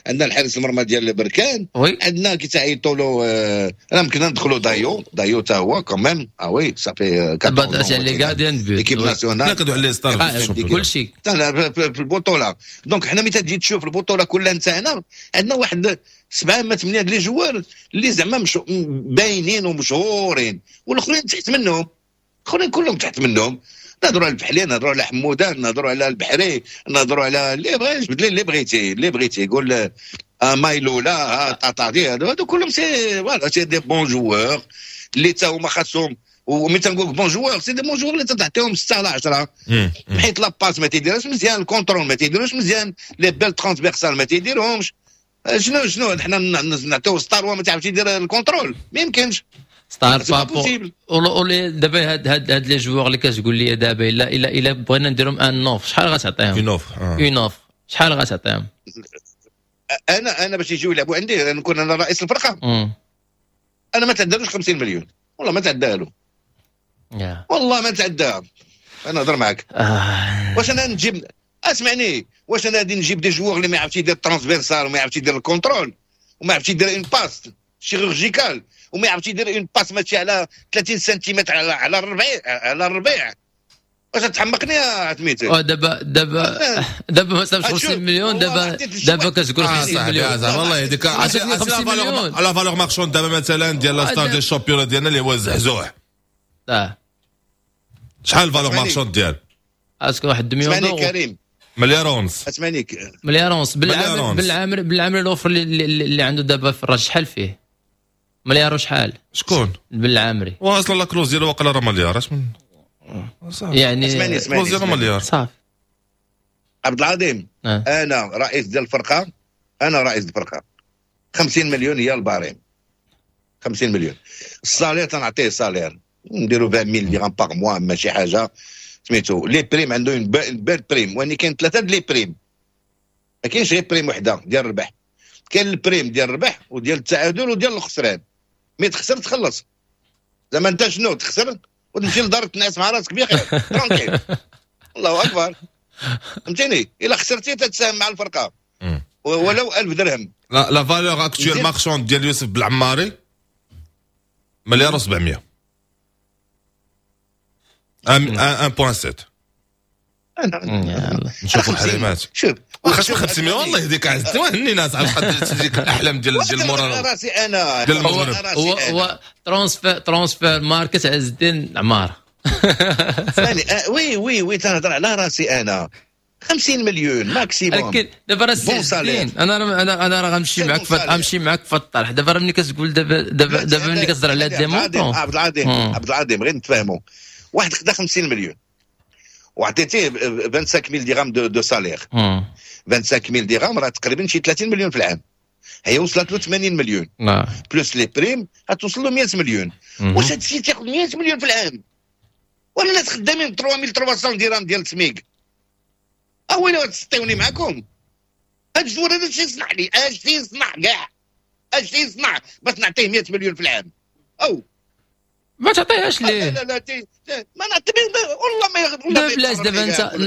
عندنا الحارس المرمى ديال بركان. oui. عندنا كي تعيطوا له، انا يمكن ندخلوا دايو، دايو تا هو quand même، ah oui ça fait les gardiens de but l'équipe nationale. لا، كندوي على les stars. كلشي. في البطوله. donc حنا ملي تجي تشوف البطولة كلها نتاعنا، عندنا واحد سبعة ما ثمانية les joueurs اللي زعما باينين ومشهورين، والاخرين تحت منهم، الاخرين كلهم تحت منهم. نهضروا على الفحلي، نهضروا على حمودان، نهضروا على البحري، نهضروا على اللي بغيت، بدلي اللي بغيتي، اللي بغيتي قول، مايلولا، طاطادي، هادو كلهم c'est voilà c'est des bons joueurs اللي تا هما خاصهم. وملي تنقول bons joueurs، c'est des bons joueurs اللي تعطيهم 6 على 10، حيت la passe ما تيديرهاش مزيان، ال contrôle ما تيديروش مزيان، les belles transversales ما تيديرهمش. شنو حنا نعطيو star وما تعرفش يدير ال contrôle؟ ما يمكنش. star بابو اولي. دابا هاد les joueurs اللي كتقول لي دابا، الا بغينا نديرهم une offre، شحال غتعطيهم؟ une offre. une offre شحال غتعطيهم؟ انا باش يجيو يلعبوا عندي، نكون انا رئيس الفرقه، انا ما تعدالوش 50 مليون، والله ما تعدالو، والله ما تعداها. انا نهضر معاك. واش انا نجيب، اسمعني، واش انا غادي نجيب des joueurs اللي ما يعرفش يدير transversale وما يعرفش يدير ال contrôle وما يعرفش يدير une passe chirurgicale وما يعرفش يدير une passe ماشي على 30 سنتيمتر على الربيع؟ واش تحمقني يا سميتي؟ دابا ما صافش 50 مليون، دابا كتقول 50 مليون. والله يهديك. 50 مليون. la valeur marchande دابا مثلا ديال la star ديال ال championnat ديالنا اللي هو الزحزوح. شحال valeur marchande ديال؟ est-ce que واحد مليون؟ اسمعني كريم. مليار ونص. اسمعني. مليار ونص. بالعامري l'offre اللي عنده دابا في الرجاء شحال فيه؟ مليار وشحال؟ شكون؟ بالعامري. واصلا la clause ديالو واقيلا راه مليار، اش من يعني اسمعني اسمعني. clause ديالو مليار. صافي. عبد العظيم. انا رئيس ديال الفرقه، انا رئيس الفرقه، 50 مليون هي ال barème، 50 مليون. ال salaire تنعطيه salaire نديرو 20000 درهم par mois، ماشي حاجة سميتو. les primes عنده une belle prime، واني كاين ثلاثة les primes، ما كاينش غير prime وحده ديال الربح، كاين ال prime ديال الربح وديال التعادل وديال الخسران. mais تخسر تخلص، زعما انت شنو تخسر وتمشي لدار تنعس مع راسك بخير tranquille، الله اكبر، فهمتيني؟ الا خسرتي تتساهم مع الفرقة ولو 1000 درهم. la valeur actuelle marchande ديال يوسف بالعماري مليار و700، 1.7. نشوفوا الحريمات. شوف. واخا 500، والله يهديك عز وهني ناس عاد تجيك الاحلام ديال المورال. راسي انا. ديال المغرب. هو Transfermarkt عز الدين عمار. اسمعني، oui oui oui، تنهضر على راسي انا، 50 مليون maximum. لكن دابا راه انا انا انا راه غنمشي معاك في الطرح. دابا راه ملي كتقول دابا ملي كتهضر على هاد les montants. عبد العظيم، عبد العظيم، غير نتفاهموا. واحد خدا 50 مليون وعطيتيه 25000 درهم de salaire، 25000 درهم راه تقريبا شي 30 مليون في العام. هي وصلت له 80 مليون plus les primes غتوصل له 100 مليون. واش هاد السيد تياخذ 100 مليون في العام ولا الناس خدامين 3300 درهم ديال سميك؟ اويلي تسطيوني معاكم. هاد ال joueur هذا اش يصنع لي؟ اش يصنع كاع؟ اش يصنع باش نعطيه 100 مليون في العام؟ او ما تعطيهاش ليه؟ لا لا لا، ما نعطي، والله ما دابا بلاش،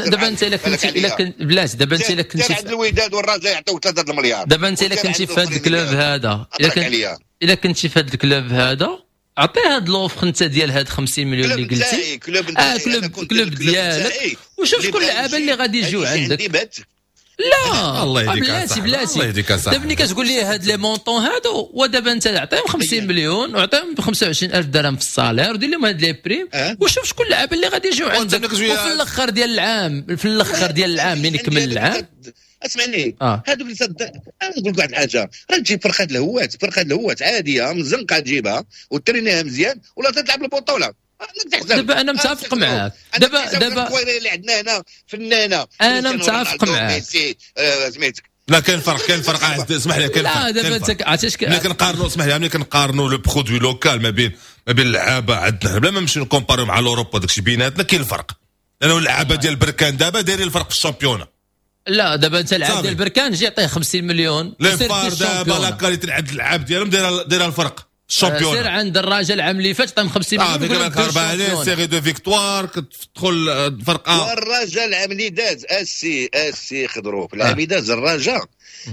دابا انت الا كنت بلاش، دابا انت الا كنتي عند الوداد والرجاء يعطيوك 3 المليار. دابا انت الا كنتي في هذا ال club هذا، الا كنتي في هذا ال club هذا، عطية هاد l'offre انت ديال هاد 50 مليون اللي قلتي. club. اه club ديالك، وشوف شكون اللعابه اللي غادي يجيو عندك. لا. الله يهديك. بلاتي بلاتي. الله يهديك. دابا ملي كتقول لي هاد les montants هادو، ودابا انت عطيهم 50 مليون وعطيهم ب 25000 درهم في ال salaire ودير لهم هاد les primes وشوف شكون اللعابه اللي غادي يجيو عندك. وفي الاخر ديال العام، في الاخر ديال العام من يكمل العام. اسمعني. هادو اللي انا نقول لك واحد الحاجه، راه تجيب فرقه الهوات، فرقه الهوات عادية من الزنقة تجيبها وترينيها مزيان ولا تلعب البطوله. دابا انا متفق معاك. دابا اللي عندنا هنا فنانه. انا متفق معاك. سميتك. لا، كاين فرق، كاين فرق، اسمح لي، كاين فرق. لا، دابا انت عرفتي. ملي كنقارنوا، اسمح لي، ملي كنقارنوا le produit local ما بين اللعابه عندنا، بلا ما نمشيو نكومباريو مع l'Europe، داكشي بيناتنا كاين الفرق، لانه اللعابه ديال بركان دابا دايرين الفرق في ال championnat. لا، دابا انت العاب ديال بركان جي عطية 50 مليون. les FAR دابا la qualité عند اللعاب ديالهم دايرة الفرق. ال championnat. سير عند الراجل العام اللي فات عطاهم 50 مليون. في بالك 4 série de victoires كتدخل فرقه. والرجاء العام اللي داز السي خضروف العام اللي داز الرجاء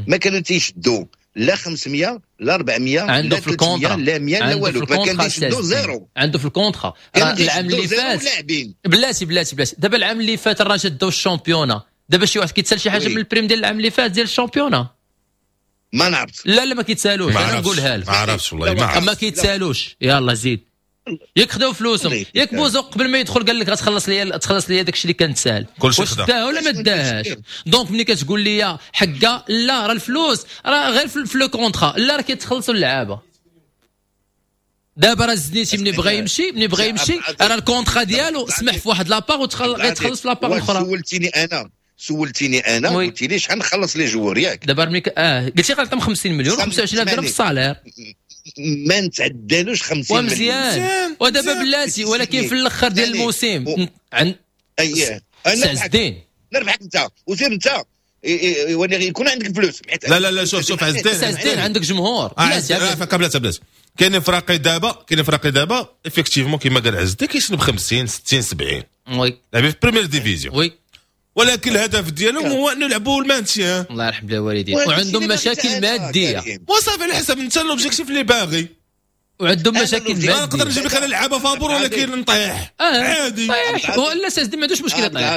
ما كانوا تيشدوا لا 500 لا 400 عنده لا في ال contrat لا 100 لا والو، ما كان تيشدوا zéro عنده في ال contrat. العام اللي فات بلاتي بلاتي بلاتي، دابا العام اللي فات الرجاء داو ال championnat، دابا شي واحد كيتسال شي حاجة من ال prime ديال العام اللي فات ديال ال championnat؟ ما نعرفش. لا لا ما كيتسالوش، انا نقولها لك ما عرفتش والله ما عرفت، ما كيتسالوش. يلا زيد ياك خداو فلوسهم، ياك بوزوق قبل ما يدخل قال لك غتخلص لي تخلص لي داكشي اللي كنتسال، واش داه ولا ما داهاش؟ donc ملي كتقول لي حكا لا راه الفلوس راه غير في le contrat، لا راه كيتخلصوا اللعابه. دابا راه الزنيتي ملي بغى يمشي، ملي بغى يمشي راه ال contrat ديالو سمح في واحد la part وغيتخلص في la part الاخرى. سولتيني انا قلت لي شحال نخلص les joueurs ياك؟ دابا ملي قلتي غنعطيهم 50 مليون 25 درهم في ال salaire، ما نتعدالوش 50 مليون ومزيان. ودابا بلاتي، ولكن في الاخر ديال الموسم عند اييه انا نربحك انت وسير انت يكون عندك فلوس. لا لا لا شوف شوف عز الدين، عز الدين عندك جمهور. بلاتي بلاتي كاين فراقي دابا، كاين فراقي دابا effectivement كيما قال عز الدين كيشنب 50 60 70 oui لاعبين في première division oui، ولكن الهدف ديالهم هو انه يلعبوا ال maintien. الله يرحم الوالدين. وعندهم مشاكل مادية وصافي على حسب انت l'objectif اللي باغي، وعندهم مشاكل مادية. نقدر نجيب لك انا لعابه فابور ولكن نطيح عادي. طيح ولا سيدي ما عندوش مشكلة طيح.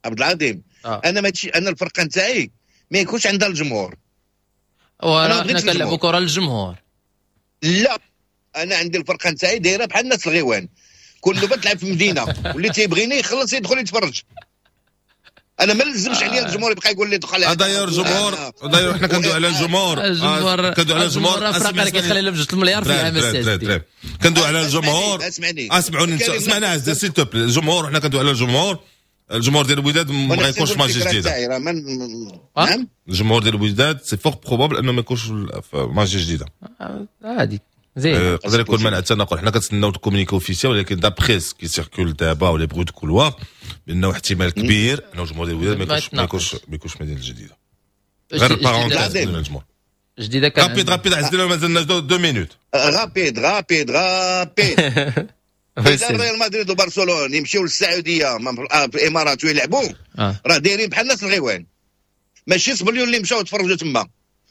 عبد العظيم انا ماشي، انا الفرقة نتاعي ما يكونش عندها الجمهور. وراه حنا كنلعبوا كره للجمهور. لا انا عندي الفرقة نتاعي دايرة بحال الناس الغيوان، كل نوبه تلعب في مدينة واللي تيبغيني يخلص يدخل يتفرج. انا ما لزمش عليا الجمهور يبقى يقول لي دخل. داير الجمهور، داير حنا كندوي على الجمهور، كندوي على الجمهور. الفرق كيخلي لهم 2 مليار في العام السادس. كندوي على الجمهور. اسمعوني اسمعنا عز s'il te plaît. الجمهور حنا كندوي على الجمهور، الجمهور ديال الوداد ما غيكونش في ماتش جديدة. نعم الجمهور ديال الوداد c'est fort probable انه ما يكونش في ماتش جديدة. عادي زين يقدر يكون منع التنقل. حنا كنتسناو ال communiqué officiel، ولكن d'après ce qui circule دابا و les bruits de couloir بانه احتمال كبير انه الجمهور ديال الوداد ما يكونش مدينة الجديدة. غير parenthèse ديال الجمهور جديدة كان rapide rapide عز الدين مازلنا 2 minutes. rapide rapide rapide. اذا ريال مدريد وبرشلونة يمشيو للسعودية في الامارات ويلعبوا راه دايرين بحال الناس الغيوان، ماشي سبليون اللي مشاو تفرجوا تما،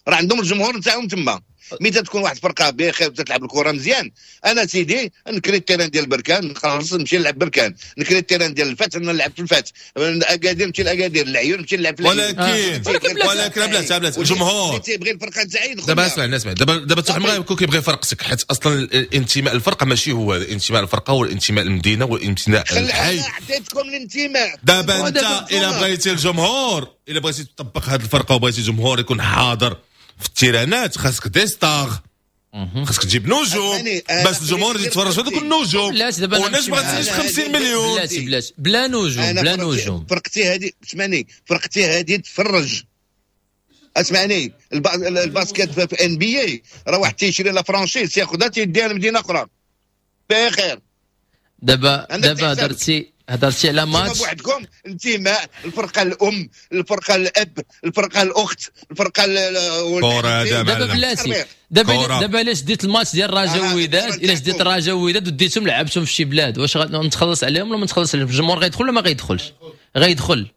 راه عندهم الجمهور نتاعهم تما. ملي تكون واحد الفرقة بخير وتلعب الكره مزيان، انا سيدي نكري ال terrain ديال بركان نخلص نمشي نلعب بركان، نكري ال terrain ديال الفتح نلعب في الفتح، اكادير نمشي لاكادير، العيون نمشي نلعب في العيون. ولكن بلاتي بلاتي الجمهور تيبغي الفرقة نتاعي يدخل. دابا اسمع اسمع دابا حتى ما غيكون كيبغي فرقتك، حيت اصلا الانتماء الفرقة ماشي هو الانتماء الفرقة، هو الانتماء المدينة والانتماء الحي. عطيتكم الانتماء. دابا انت الا بغيتي الجمهور، الا بغيتي تطبق هذه الفرقة وبغيتي الجمهور يكون حاضر في التيرانات، خاصك des stars، خاصك تجيب نجوم باش الجمهور يجي يتفرج في هذوك النجوم. والناس ما غاتساليش 50 مليون. بلاتي بلاتي بلا نجوم بلا نجوم. فرقتي هذه اسمعني، فرقتي هذه تفرج. اسمعني ال basket في NBA راه واحد تيشري la franchise ياخذها تيديها لمدينة اخرى بخير. دابا هضرتي على ماتش بوحدكم انتماء الفرقة الام، الفرقة الاب، الفرقة الاخت، الفرقة كره. دابا بلاتي دابا علاش ديت الماتش ديال الرجاء والوداد؟ الا ديت الرجاء والوداد وديتهم لعبتهم في شي بلاد، واش غنتخلص عليهم ولا ما نتخلص عليهم؟ الجمهور غيدخل ولا ما غيدخلش؟ غيدخل.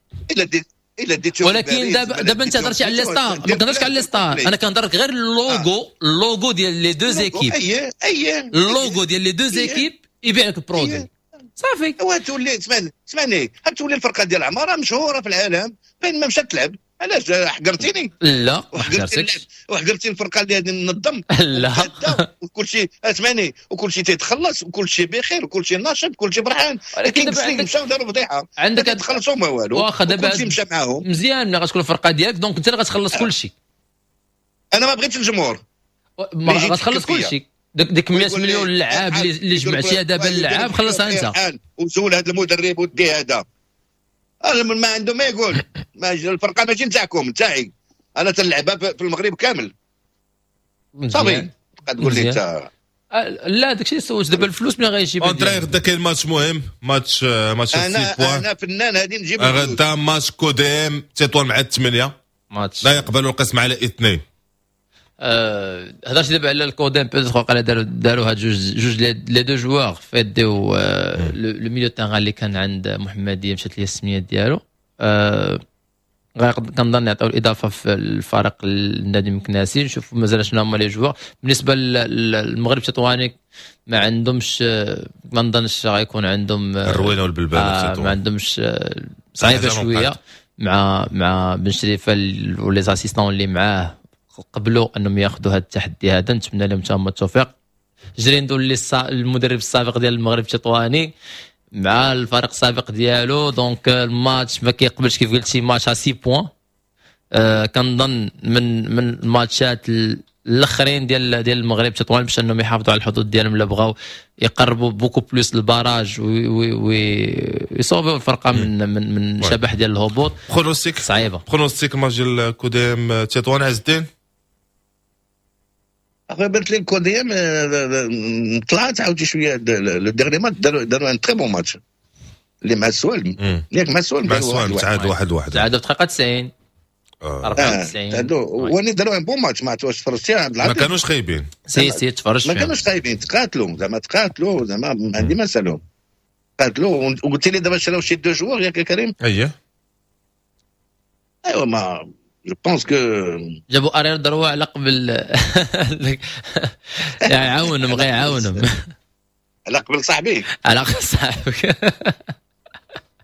الا ديتهم. ولكن دابا انت هضرتي على les stars، ما كنهضرش على les stars، انا كنهضر غير ال logo، ال logo ديال les deux équipes. اييه اللوغو ديال les deux équipes يبيع لك ال produit صافي. وتولي اسمعني تولي الفرقة ديال العمارة مشهورة في العالم فين ما مشات تلعب. علاش حقرتيني؟ لا ما حقرتكش. وحقرتي الفرقة اللي غادي ننظم. لا وكل شيء اسمعني، وكل شيء تيتخلص وكل شيء بخير وكل شيء ناشط وكل شيء فرحان. ولكن دابا مشاو داروا فضيحة، عندك تخلصوا ما والو. واخا دابا كل شيء مشى معاهم مزيان. ملي غتكون الفرقة ديالك donc انت اللي غتخلص كل شيء. انا ما بغيتش الجمهور، غتخلص كل شيء. ديك 100 مليون لعاب اللي جمعتيها دابا اللعاب خلصها انت. وزول هذا المدرب ودي هذا ما عنده ما يقول. ما الفرقة ماشي نتاعكم، نتاعي انا تنلعبها في المغرب كامل صافي. تقول لي انت لا داكشي سويت دابا الفلوس ملي غيجيب اونتري. غدا كاين ماتش مهم، ماتش 6 points. انا فنان هادي نجيب غدا ماتش كوديم تطوان مع 8 ماتش لا يقبل القسم على 2. هضرتي دابا على الكوديم peut-être وقيلا داروا هاد جوج les deux joueurs فيديو le milieu terrain اللي كان عند محمديه، مشات لي السمية ديالو. كنظن يعطيو الاضافة في الفريق النادي المكناسي. نشوفوا مازال شنو هما les joueurs. بالنسبة للمغرب التطواني ما عندهمش، ما نظنش غيكون عندهم الروينه والبلباله. ما عندهمش، صعيبة شوية مع بن شريفه و les assistants اللي معاه قبلوا انهم ياخذوا هذا التحدي هذا. نتمنى لهم تما التوفيق. جريندو اللي المدرب السابق ديال المغرب التطواني مع الفريق السابق ديالو، donc الماتش ما كيقبلش كيف قلتي match 6 points. كنظن من الماتشات الاخرين ديال المغرب التطواني باش انهم يحافظوا على الحظوظ ديالهم، الا بغاو يقربوا beaucoup plus ال barrage ويصوفيو الفرقة من شبح ديال الهبوط. pronostic؟ صعيبه. pronostic ماتش ديال كوديم تطوان، عز الدين؟ اخويا بانت لي الكوديم طلعت عاوتاني شويه. le dernier match داروا un très bon match اللي مع السوالم، ياك؟ مع السوالم. مع السوالم تعادلوا 1-1. تعادلوا في دقيقة 90. 94. تعادلوا واني داروا un bon match. ما عرفت واش تفرجتي عبد ما كانوش خايبين. si si، تفرجت. ما كانوش خايبين، تقاتلوا زعما، تقاتلوا زعما، ما عندي ما نسالهم، قاتلوا. وقلت لي دابا شراو شي deux joueurs، ياك كريم؟ اييه. ايوا ما je pense que جابوا arrière droit على قبل يعاونهم، غير يعاونهم. على قبل صاحبي. على قبل صاحبك.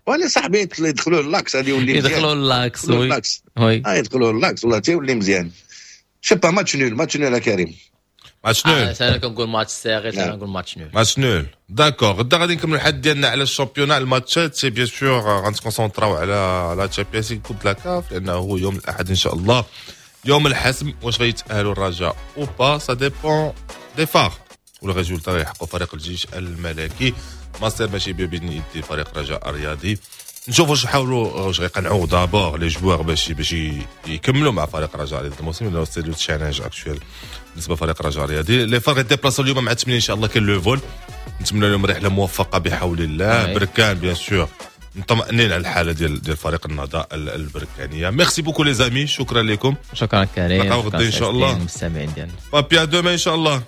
وانا صاحبي يدخلوا l'axe غادي يولي مزيان. يدخلوا l'axe، oui oui، يدخلوا l'axe والله تيولي مزيان. je sais pas، match nul، match nul كريم. match nul. انا كنقول match serré، انا نقول match nul. match nul، d'accord. غدا غادي نكملوا الحد ديالنا على ال championnat، الماتشات، c'est bien sûr غنتكونسونطراو على la Champions League، coupe la CAF، لانه هو يوم الاحد ان شاء الله يوم الحسم، واش غيتاهلوا الرجاء ou pas، ça dépend des FAR وال résultat يحققوا فريق الجيش الملكي. مصير ماشي بين يدي فريق الرجاء الرياضي. نشوفوا واش يحاولوا، واش غيقنعوا d'abord les joueurs باش يكملوا مع فريق الرجاء الرياضي الموسم، لانه c'est le challenge actuel بالنسبة لفريق الرجاء الرياضي. les FAR غيديبلاسو اليوم مع 8 ان شاء الله، كاين le vol، نتمنى لهم رحله موفقة بحول الله. بركان bien sûr مطمئنين على الحالة ديال فريق النهضة البركانيه. merci beaucoup les amis، شكرا لكم. شكرا كريم. نلقاو غدا ان شاء الله. المستمعين ديالنا. بابي، à demain ان شاء الله.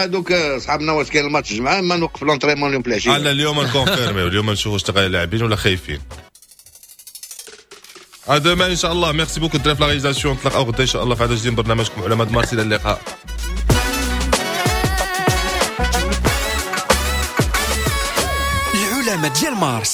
دوك صحابنا واش كاين الماتش الجمعه، ما نوقف l'entraînement اليوم في العشيه. لا، اليوم نكونفيرمي، اليوم نشوف واش تلقى لاعبين ولا خايفين. à demain ان شاء الله. merci beaucoup الدراري في la réalisation. نتلاقاو غدا ان شاء الله في عدد جديد من برنامجكم علماء مارس. الى اللقاء. العلماء ديال مارس.